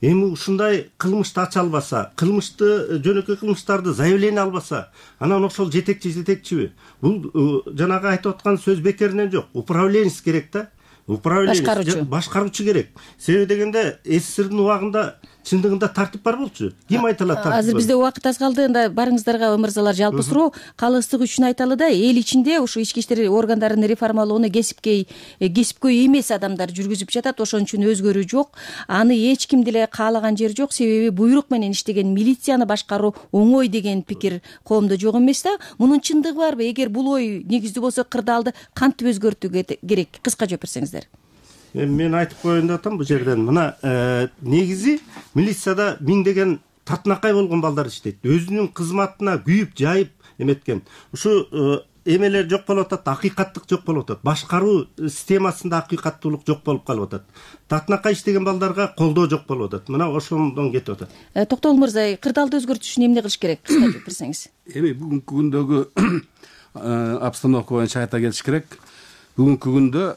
Эми ушундай кылмышты ача албаса, кылмышты, жөнөкөй кылмыштарды заявление албаса, анан ошол жетекчи жетекчиби? Бул жанагы айтып аткан сөз бекеринен жок. Управленец керек да. Управленец, башкаруучу керек. Себеби дегенде СССРдин убагында чындыгында тартип бар болчу. Ким айталат тартип? Азыр бизде убакыт аз калды. Анда барыңыздарга мырзалар жалпы суроо, калыстык үчүн айталы да, эл ичинде ушу ички иштер органдарын реформалоону кесипкөй кесипкөй эмес адамдар жүргүзүп жатат. Ошон үчүн өзгөрүү жок. Аны эч ким деле каалаган жери жок. Себеби буйрук менен иштеген милицияны башкаруу оңой деген пикир коомдо жок эмес да. Мунун чындыгы барбы? Эгер бул ой негиздүү болсо, кырдаалды кантип өзгөртүү керек? Кыска жооп берсеңиздер. эми мен айтып коеюн деп атам бул жерден. Мына негизи милицияда миңдеген татынакай болгон балдар иштейт. Өзүнүн кызматына күйүп, жайып эметкен. Ушу эмелер жок болуп атат, акыйкаттык жок болуп атат. Башкаруу системасында акыйкаттуулук жок болуп калып атат. Татынакай иштеген балдарга колдоо жок болуп атат. Мына ошондон кетип атат. Токтогул мырза, кырдаалды өзгөртүш үчүн эмне кылыш керек? Кыска айтып берсеңиз. Эми бүгүнкү күндөгү обстановка боюнча айта кетиш керек. Бүгүнкү күндө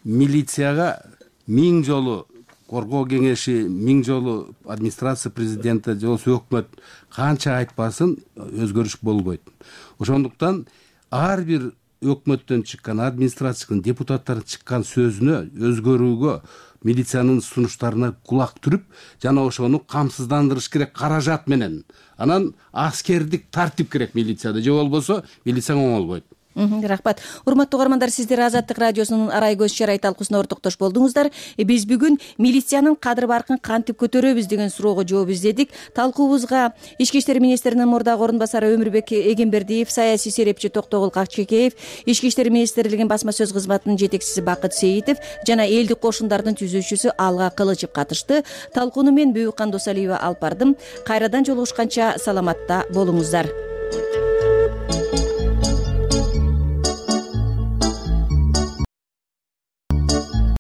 милицияга миң жолу коргоо кеңеши, миң жолу администрация президенти же болбосо өкмөт канча айтпасын өзгөрүш болбойт. Ошондуктан ар бир өкмөттөн чыккан, администрациядан, депутаттардан чыккан сөзүнө өзгөрүүгө, милициянын сунуштарына кулак түрүп, жана ошону камсыздандырыш керек каражат менен. Анан аскердик тартип керек милицияда, же болбосо милиция оңолбойт. Рахмат. Урматтуу угармандар, сиздер Азаттык радиосунун арай көз чарай талкуусуна ортоктош болдуңуздар. Биз бүгүн милициянын кадыр баркын кантип көтөрөбүз деген суроого жооп издедик. Талкуубузга Ички иштер министринин мурдагы орун басары Өмүрбек Эгембердиев, саясий серепчи Токтогул Какчекеев, Ички иштер министрлигинин басма сөз кызматынын жетекчиси Бакыт Сейитов жана элдик кошундардын түзүүчүсү Алга Кылычев катышты. Талкууну мен Бүйүккан Досалиева алып бардым. Кайрадан жолугушканча саламатта болуңуздар.